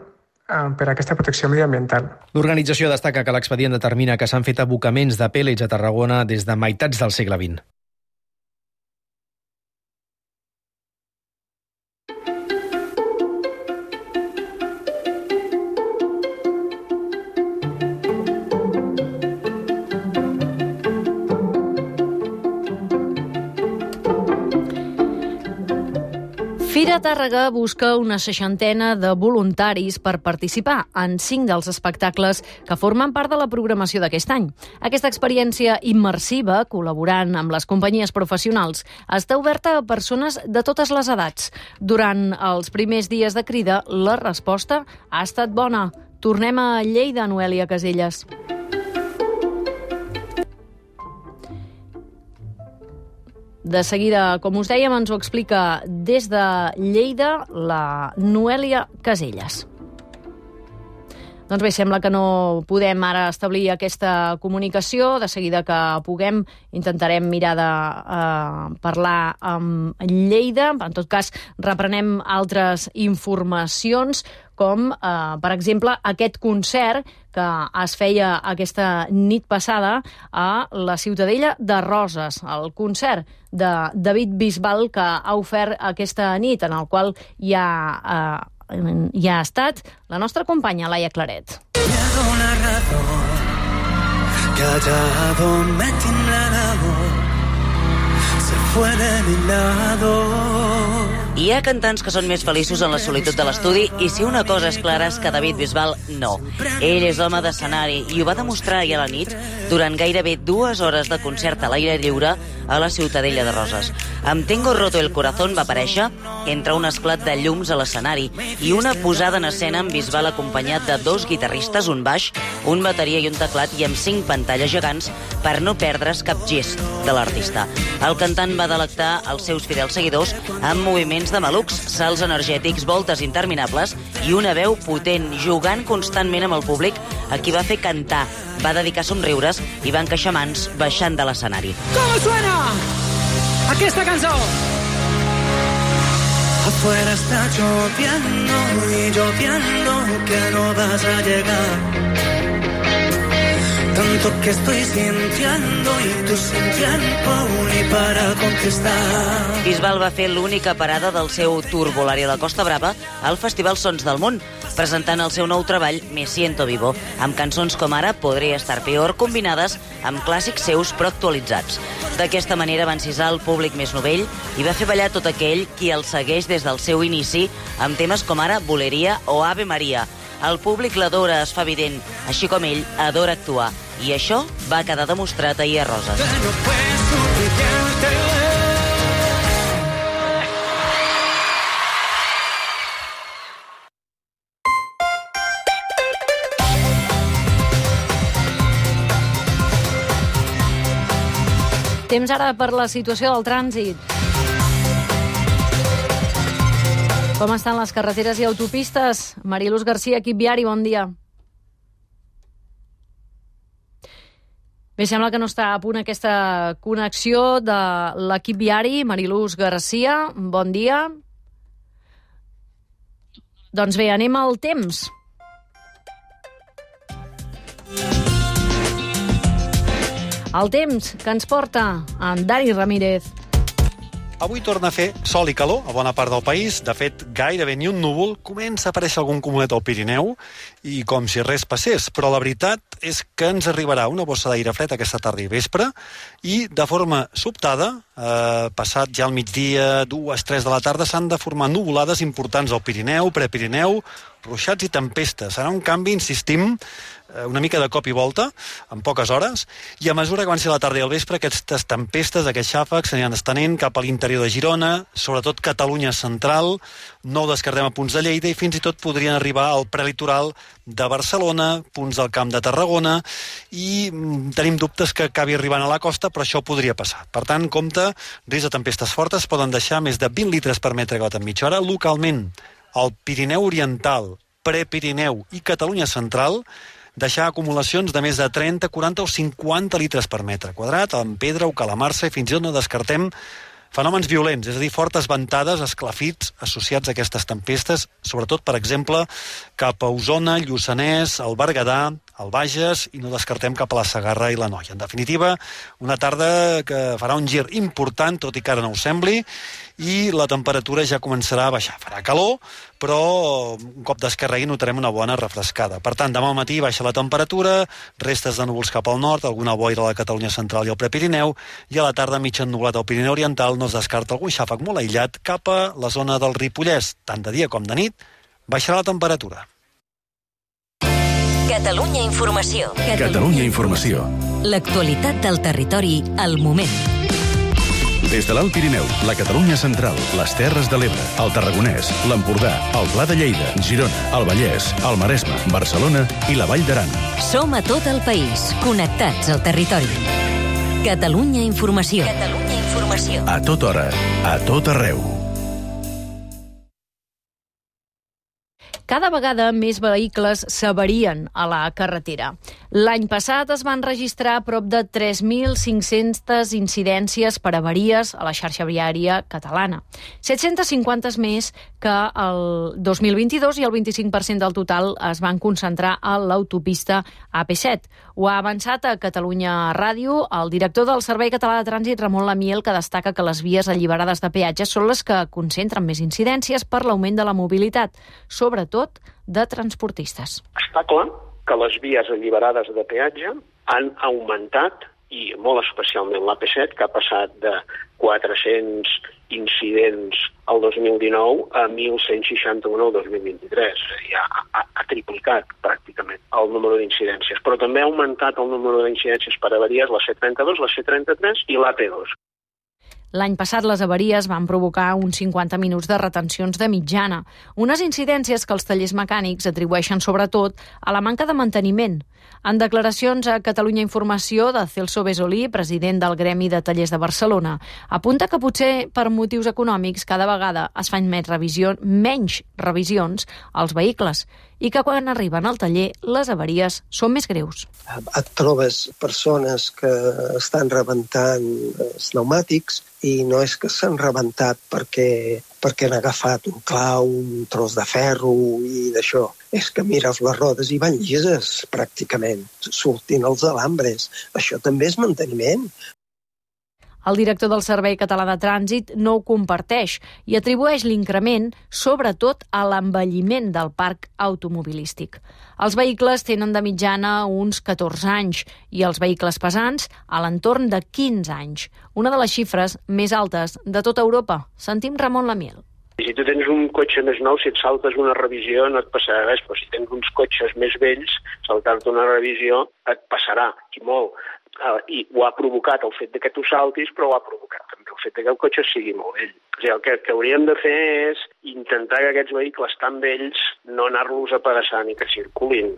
per a aquesta protecció mediambiental. L'organització destaca que l'expedient determina que s'han fet abocaments de pèl·lets a Tarragona des de meitats del segle XX. Fira Tàrrega busca una 60 de voluntaris per participar en 5 dels espectacles que formen part de la programació d'aquest any. Aquesta experiència immersiva, col·laborant amb les companyies professionals, està oberta a persones de totes les edats. Durant els primers dies de crida, la resposta ha estat bona. Tornem a Lleida, Noelia Caselles. De seguida, com us dèiem, ens ho explica des de Lleida la Noelia Caselles. Doncs bé, sembla que no podem ara establir aquesta comunicació. De seguida que puguem intentarem mirar de parlar amb Lleida. En tot cas, reprenem altres informacions. com, per exemple, aquest concert que es feia aquesta nit passada a la Ciutadella de Roses, el concert de David Bisbal que ha ofert aquesta nit, en el qual hi ha estat la nostra companya Laia Claret. Callado me tiembla el amor, se fue de mi lado. Hi ha cantants que són més feliços en la solitud de l'estudi i si una cosa és clara és que David Bisbal no. Ell és home d'escenari i ho va demostrar ahir a la nit durant gairebé 2 hores de concert a l'aire lliure a la Ciutadella de Roses. Amb Tengo roto el corazón va aparèixer entre un esclat de llums a l'escenari i una posada en escena amb Bisbal acompanyat de 2 guitarristes, un baix, un bateria i un teclat i amb 5 pantalles gegants per no perdre's cap gest de l'artista. El cantant va delectar els seus fidels seguidors amb moviments de malucs, salts energètics, voltes interminables i una veu potent, jugant constantment amb el públic, a qui va fer cantar, va dedicar somriures i va encaixar mans baixant de l'escenari. Com suena aquesta cançó? Afuera está lloviendo y lloviendo que no vas a llegar. Tanto que estoy sintiendo y tú sin tiempo ni para contestar. Bisbal va fer l'única parada del seu tour Volare a la Costa Brava al Festival Sons del Món, presentant el seu nou treball Me siento vivo, amb cançons com ara Podría estar peor, combinades amb clàssics seus però actualitzats. D'aquesta manera va encisar el públic més novell i va fer ballar tot aquell qui el segueix des del seu inici amb temes com ara Boleria o Ave Maria. El públic l'adora, es fa evident, així com ell adora actuar. I això va quedar demostrat ahir a Roses. Temps ara per la situació del trànsit. Com estan les carreteres i autopistes? Mariluz Garcia, equip viari, bon dia. Bé, sembla que no està a punt aquesta connexió de l'equip viari. Mariluz Garcia, bon dia. Doncs bé, anem al temps. El temps que ens porta en Dani Ramírez. Avui torna a fer sol i calor a bona part del país. De fet, gairebé ni un núvol. Comença a aparèixer algun cumulet al Pirineu i com si res passés. Però la veritat és que ens arribarà una bossa d'aire fred aquesta tarda i vespre i de forma sobtada, passat ja al migdia, 2-3 de la tarda, s'han de formar nuvolades importants al Pirineu, Prepirineu, ruixats i tempestes. Serà un canvi, insistim, una mica de cop i volta, en poques hores, i a mesura que avanci la tarda i el vespre, aquestes tempestes, aquests xàfecs s'aniran estenent cap a l'interior de Girona, sobretot Catalunya central, no ho descartem a punts de Lleida i fins i tot podrien arribar al prelitoral de Barcelona, punts del Camp de Tarragona, i tenim dubtes que acabi arribant a la costa, però això podria passar. Per tant, compte, risc de tempestes fortes poden deixar més de 20 litres per metre quadrat en mitja hora. Localment, al Pirineu Oriental, Prepirineu i Catalunya central, deixar acumulacions de més de 30, 40 o 50 litres per metre quadrat, en pedra o calamarsa, i fins i tot no descartem fenòmens violents, és a dir, fortes ventades, esclafits associats a aquestes tempestes, sobretot, per exemple, cap a Osona, Lluçanès, el Berguedà, el Bages, i no descartem cap a la Segarra i la Noia. En definitiva, una tarda que farà un gir important, tot i que ara no ho sembli, i la temperatura ja començarà a baixar. Farà calor, però un cop d'esquerregui notarem una bona refrescada. Per tant, demà al matí baixa la temperatura, restes de núvols cap al nord, alguna boira a la Catalunya central i al Prepirineu, i a la tarda mig ennubulat al Pirineu Oriental no es descarta algun xàfec molt aïllat cap a la zona del Ripollès. Tant de dia com de nit baixarà la temperatura. Catalunya Informació. Catalunya Informació. L'actualitat del territori al moment. Des de l'Alt Pirineu, la Catalunya central, les Terres de l'Ebre, el Tarragonès, l'Empordà, el Pla de Lleida, Girona, el Vallès, el Maresme, Barcelona i la Vall d'Aran. Som a tot el país, connectats al territori. Catalunya Informació. Catalunya Informació. A tota hora, a tot arreu. Cada vegada més vehicles s'avarien a la carretera. L'any passat es van registrar prop de 3.500 incidències per avaries a la xarxa viària catalana. 750 més que el 2022 i el 25% del total es van concentrar a l'autopista AP7. Ho ha avançat a Catalunya Ràdio el director del Servei Català de Trànsit, Ramon Lamiel, que destaca que les vies alliberades de peatges són les que concentren més incidències per l'augment de la mobilitat, sobretot de transportistes. Està clar que les vies alliberades de peatge han augmentat, i molt especialment l'AP7, que ha passat de 400 incidents el 2019 a 1.161 el 2023. Ja ha triplicat pràcticament el número d'incidències. Però també ha augmentat el número d'incidències per avaries la C32, la C33 i l'AP2. L'any passat les avaries van provocar uns 50 minuts de retencions de mitjana, unes incidències que els tallers mecànics atribueixen sobretot a la manca de manteniment. En declaracions a Catalunya Informació de Celso Besolí, president del Gremi de Tallers de Barcelona, apunta que potser per motius econòmics cada vegada es fan menys revisions als vehicles i que quan arriben al taller les avaries són més greus. Et trobes persones que estan rebentant els pneumàtics i no és que s'han rebentat perquè han agafat un clau, un tros de ferro i d'això. És que mires les rodes i van llises, pràcticament. Surtin els alambres. Això també és manteniment. El director del Servei Català de Trànsit no ho comparteix i atribueix l'increment sobretot a l'envelliment del parc automobilístic. Els vehicles tenen de mitjana uns 14 anys i els vehicles pesants a l'entorn de 15 anys, una de les xifres més altes de tota Europa. Sentim Ramon Lamiel. Si tu tens un cotxe més nou, si et saltes una revisió no et passarà res, però si tens uns cotxes més vells, saltar-te una revisió et passarà, i molt. I ho ha provocat el fet que tu saltis, però ho ha provocat també el fet que el cotxe sigui molt vell. O sigui, el que hauríem de fer és intentar que aquests vehicles tan vells no anar-los apedaçant i que circulin.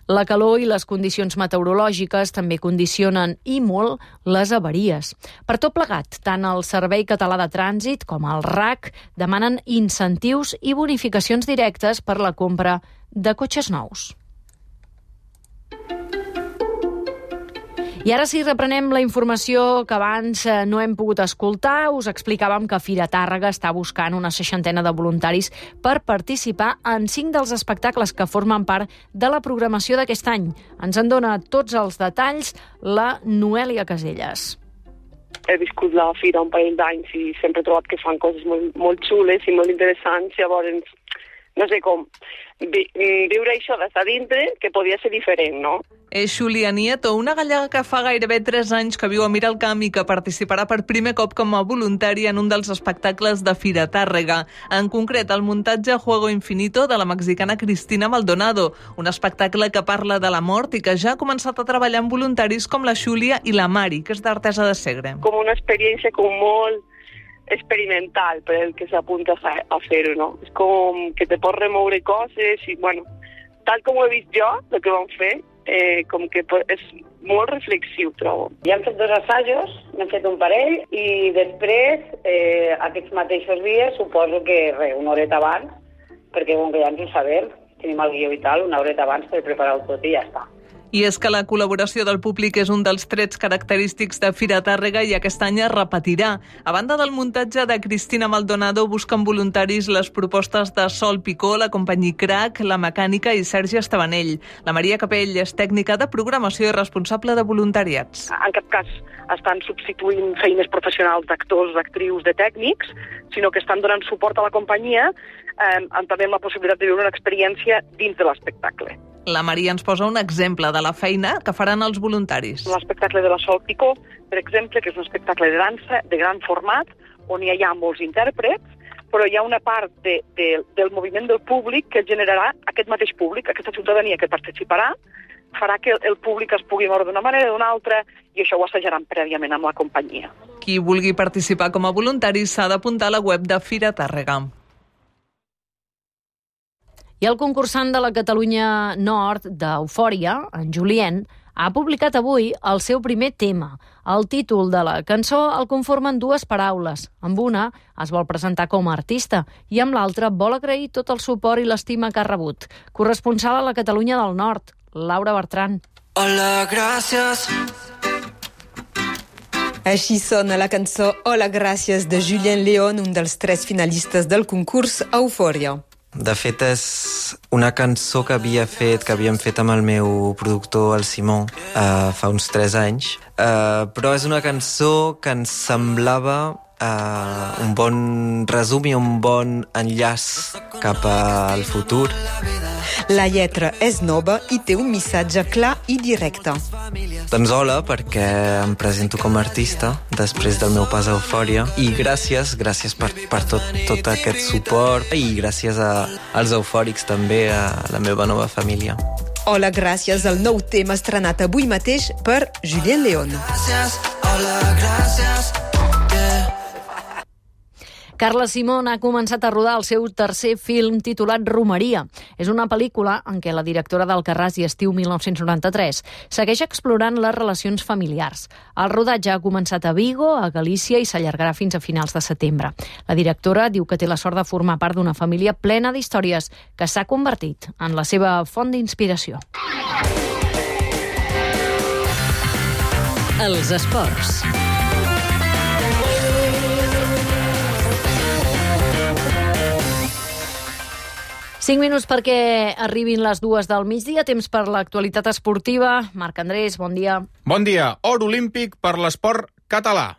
La calor i les condicions meteorològiques també condicionen i molt les avaries. Per tot plegat, tant el Servei Català de Trànsit com el RAC demanen incentius i bonificacions directes per la compra de cotxes nous. I ara sí, reprenem la informació que abans no hem pogut escoltar. Us explicàvem que Fira Tàrrega està buscant una 60 de voluntaris per participar en 5 dels espectacles que formen part de la programació d'aquest any. Ens en dona tots els detalls la Noèlia Caselles. He viscut la Fira un parell d'anys i sempre he trobat que fan coses molt xules i molt interessants. Llavors, no sé com, viure això des de dintre, que podia ser diferent, no? És Xulia Nieto, una gallega que fa gairebé 3 anys que viu a Miralcamp i que participarà per primer cop com a voluntària en un dels espectacles de Fira Tàrrega. En concret, el muntatge Juego Infinito de la mexicana Cristina Maldonado, un espectacle que parla de la mort i que ja ha començat a treballar amb voluntaris com la Xulia i la Mari, que és d'Artesa de Segre. Com una experiència molt experimental per el que s'apunta a fer-ho, no? És com que te pots remoure coses i, bueno, tal com ho he vist jo, el que vam fer, com que és molt reflexiu, trobo. Ja hem fet 2 assajos, n'hem fet un parell, i després, aquests mateixos dies, suposo que una horeta abans, perquè com que ja ens ho sabem, tenim el guió i tal, una horeta abans per preparar-ho tot i ja està. I és que la col·laboració del públic és un dels trets característics de Fira Tàrrega i aquest any es repetirà. A banda del muntatge de Cristina Maldonado, busquen voluntaris les propostes de Sol Picó, la companyia Crac, la Mecànica i Sergi Estabanell. La Maria Capell és tècnica de programació i responsable de voluntariats. En cap cas estan substituint feines professionals d'actors, d'actrius, de tècnics, sinó que estan donant suport a la companyia també amb la possibilitat de viure una experiència dins de l'espectacle. La Maria ens posa un exemple de la feina que faran els voluntaris. L'espectacle de la Sol Picó, per exemple, que és un espectacle de dansa de gran format, on hi ha molts intèrprets, però hi ha una part del moviment del públic que generarà aquest mateix públic, aquesta ciutadania que participarà, farà que el públic es pugui moure d'una manera o d'una altra, i això ho assajaran prèviament amb la companyia. Qui vulgui participar com a voluntari s'ha d'apuntar a la web de Fira Tàrrega. I el concursant de la Catalunya Nord d'Eufòria, en Julien, ha publicat avui el seu primer tema. El títol de la cançó el conformen dues paraules. Amb una es vol presentar com a artista i amb l'altra vol agrair tot el suport i l'estima que ha rebut. Corresponsal a la Catalunya del Nord, Laura Bertran. Hola, gràcies. Així sona la cançó Hola, gràcies de Julien León, un dels 3 finalistes del concurs Eufòria. De fet, és una cançó que havíem fet amb el meu productor, el Simó, fa uns 3 anys. Però és una cançó que ens semblava un bon resum i un bon enllaç cap al futur. La lletra és nova i té un missatge clar i directe. Doncs hola, perquè em presento com a artista després del meu pas a Eufòria, i gràcies per tot aquest suport, i gràcies als eufòrics també, a la meva nova família. Hola, gràcies, el nou tema estrenat avui mateix per Julien León. Hola, gràcies. Carla Simón ha començat a rodar el seu tercer film titulat Romeria. És una pel·lícula en què la directora d'Alcarràs i Estiu 1993 segueix explorant les relacions familiars. El rodatge ha començat a Vigo, a Galícia, i s'allargarà fins a finals de setembre. La directora diu que té la sort de formar part d'una família plena d'històries que s'ha convertit en la seva font d'inspiració. Els esports. 5 minuts perquè arribin les 2 del migdia, temps per l'actualitat esportiva. Marc Andrés, bon dia. Bon dia. Or olímpic per l'esport català.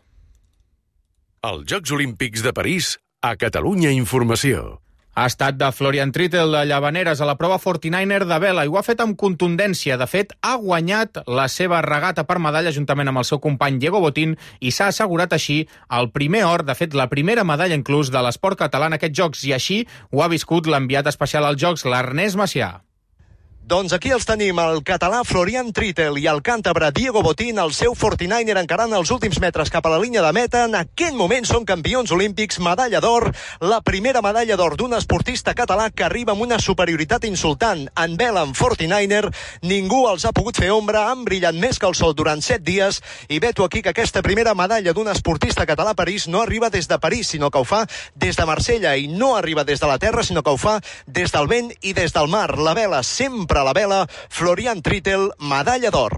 Els Jocs Olímpics de París, a Catalunya Informació. Ha estat de Florian Trittel de Llavaneres a la prova 49er de vela i ho ha fet amb contundència. De fet, ha guanyat la seva regata per medalla juntament amb el seu company Diego Botín i s'ha assegurat així el primer or, de fet, la primera medalla inclús de l'esport català en aquests Jocs, i així ho ha viscut l'enviat especial als Jocs, l'Ernest Macià. Doncs aquí els tenim, el català Florian Trittel i el càntabre Diego Botín, el seu 49er encarant els últims metres cap a la línia de meta. En aquell moment són campions olímpics, medalla d'or, la primera medalla d'or d'un esportista català que arriba amb una superioritat insultant. En vela, en 49er, ningú els ha pogut fer ombra, han brillat més que el sol durant 7 dies, i veto aquí que aquesta primera medalla d'un esportista català a París no arriba des de París, sinó que ho fa des de Marsella, i no arriba des de la terra, sinó que ho fa des del vent i des del mar. La vela sempre a la vela, Florian Trittel, medalla d'or.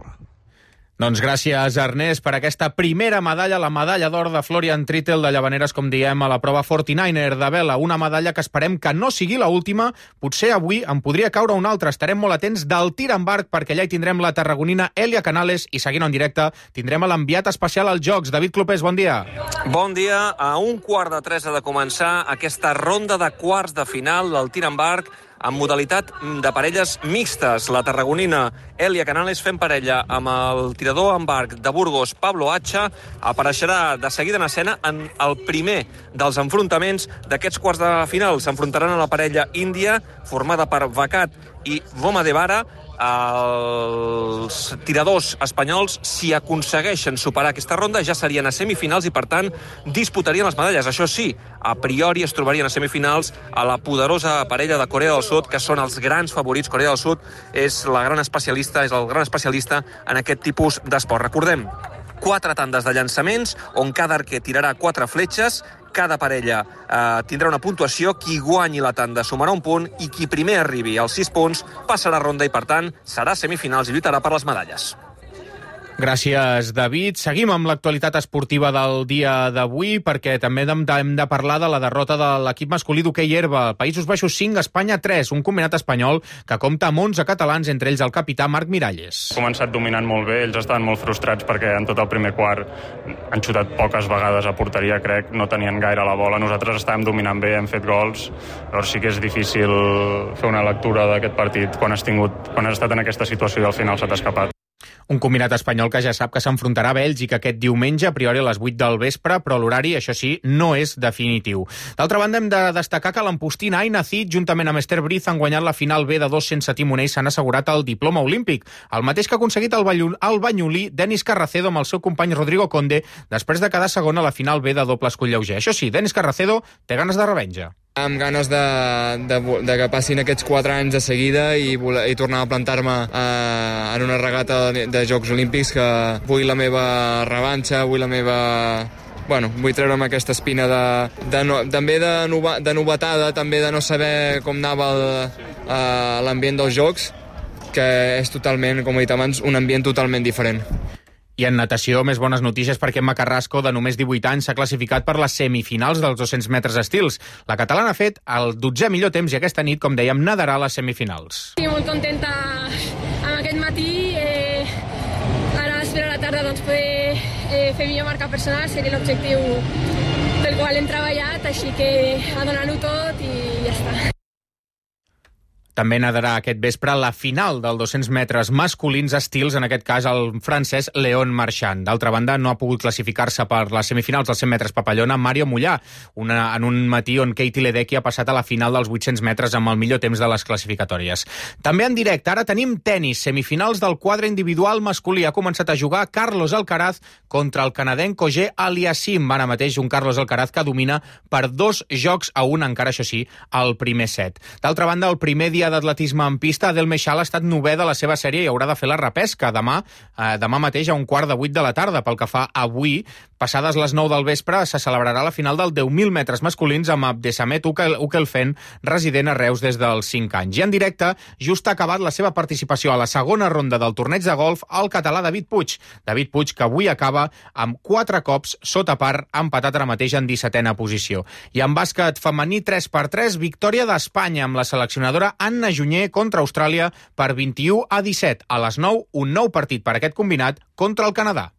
Doncs gràcies, Ernest, per aquesta primera medalla, la medalla d'or de Florian Trittel de Llavaneres, com diem, a la prova 49er de vela. Una medalla que esperem que no sigui l'última. Potser avui en podria caure una altra. Estarem molt atents del tir en barc, perquè allà hi tindrem la tarragonina Elia Canales i, seguint en directe, tindrem l'enviat especial als Jocs. David Clopés, bon dia. Bon dia. A 2:15 ha de començar aquesta ronda de quarts de final del tir en barc en modalitat de parelles mixtes. La tarragonina Elia Canales fent parella amb el tirador en barc de Burgos, Pablo Hacha, apareixerà de seguida en escena en el primer dels enfrontaments d'aquests quarts de final. S'enfrontaran a la parella índia, formada per Vacat i Voma de Vara. Els tiradors espanyols, si aconsegueixen superar aquesta ronda, ja serien a semifinals i, per tant, disputarien les medalles. Això sí, a priori es trobarien a semifinals a la poderosa parella de Corea del Sud, que són els grans favorits. Corea del Sud és el gran especialista en aquest tipus d'esport. Recordem, 4 tandes de llançaments, on cada arquer tirarà 4 fletxes. Cada parella tindrà una puntuació. Qui guanyi la tanda sumarà un punt i qui primer arribi als 6 punts passarà ronda i, per tant, serà semifinals i lluitarà per les medalles. Gràcies, David. Seguim amb l'actualitat esportiva del dia d'avui, perquè també hem de parlar de la derrota de l'equip masculí d'hoquei herba. Països Baixos 5, Espanya 3, un combinat espanyol que compta amb 11 catalans, entre ells el capità Marc Miralles. Ha començat dominant molt bé, ells estaven molt frustrats perquè en tot el primer quart han xutat poques vegades a porteria, crec, no tenien gaire la bola. Nosaltres estàvem dominant bé, hem fet gols, llavors sí que és difícil fer una lectura d'aquest partit quan has estat en aquesta situació i al final se t'ha escapat. Un combinat espanyol que ja sap que s'enfrontarà a Bèlgica aquest diumenge, a priori a les 8 del vespre, però l'horari, això sí, no és definitiu. D'altra banda, hem de destacar que l'empostina Aina Cid, juntament amb Esther Briz, han guanyat la final B de 2 sense timoner i s'han assegurat el diploma olímpic, el mateix que ha aconseguit el banyolí Denis Carracedo amb el seu company Rodrigo Conde, després de quedar segon a la final B de doble escull lleuger. Això sí, Denis Carracedo té ganes de revenja. Amb ganes de que passin aquests 4 anys de seguida i tornar a plantar-me en una regata de Jocs Olímpics, que vull la meva revanxa, vull treure'm aquesta espina també de novetada, també de no saber com anava l'ambient dels Jocs, que és totalment, com he dit abans, un ambient totalment diferent. I en natació, més bones notícies perquè Emma Carrasco, de només 18 anys, s'ha classificat per les semifinals dels 200 metres estils. La catalana ha fet el 12è millor temps i aquesta nit, com dèiem, nadarà a les semifinals. Estic molt contenta amb aquest matí. Ara espero a la tarda poder fer millor marca personal, seria l'objectiu pel qual hem treballat, així que a donar-ho tot i ja està. També nadarà aquest vespre la final del 200 metres masculins estils, en aquest cas el francès Léon Marchand. D'altra banda, no ha pogut classificar-se per les semifinals dels 100 metres papallona Mario Mollà, en un matí on Katie Ledecky ha passat a la final dels 800 metres amb el millor temps de les classificatòries. També en directe, ara tenim tennis, semifinals del quadre individual masculí. Ha començat a jugar Carlos Alcaraz contra el canadenc Auger Aliassime. Ara mateix un Carlos Alcaraz que domina per 2-1, encara això sí, al primer set. D'altra banda, el primer dia d'atletisme en pista, Adel Meixal ha estat 9è de la seva sèrie i haurà de fer la repesca demà mateix a 7:15 de la tarda. Pel que fa avui, passades les 9 del vespre, se celebrarà la final del 10.000 metres masculins amb Abdesamet Ukelfen, resident a Reus des dels 5 anys. I en directe, just ha acabat la seva participació a la segona ronda del torneig de golf el català David Puig. David Puig, que avui acaba amb 4 cops sota par, empatat ara mateix en 17a posició. I en bàsquet femení 3x3, victòria d'Espanya amb la seleccionadora Anna Junyer contra Austràlia per 21-17. A les 9, un nou partit per aquest combinat contra el Canadà.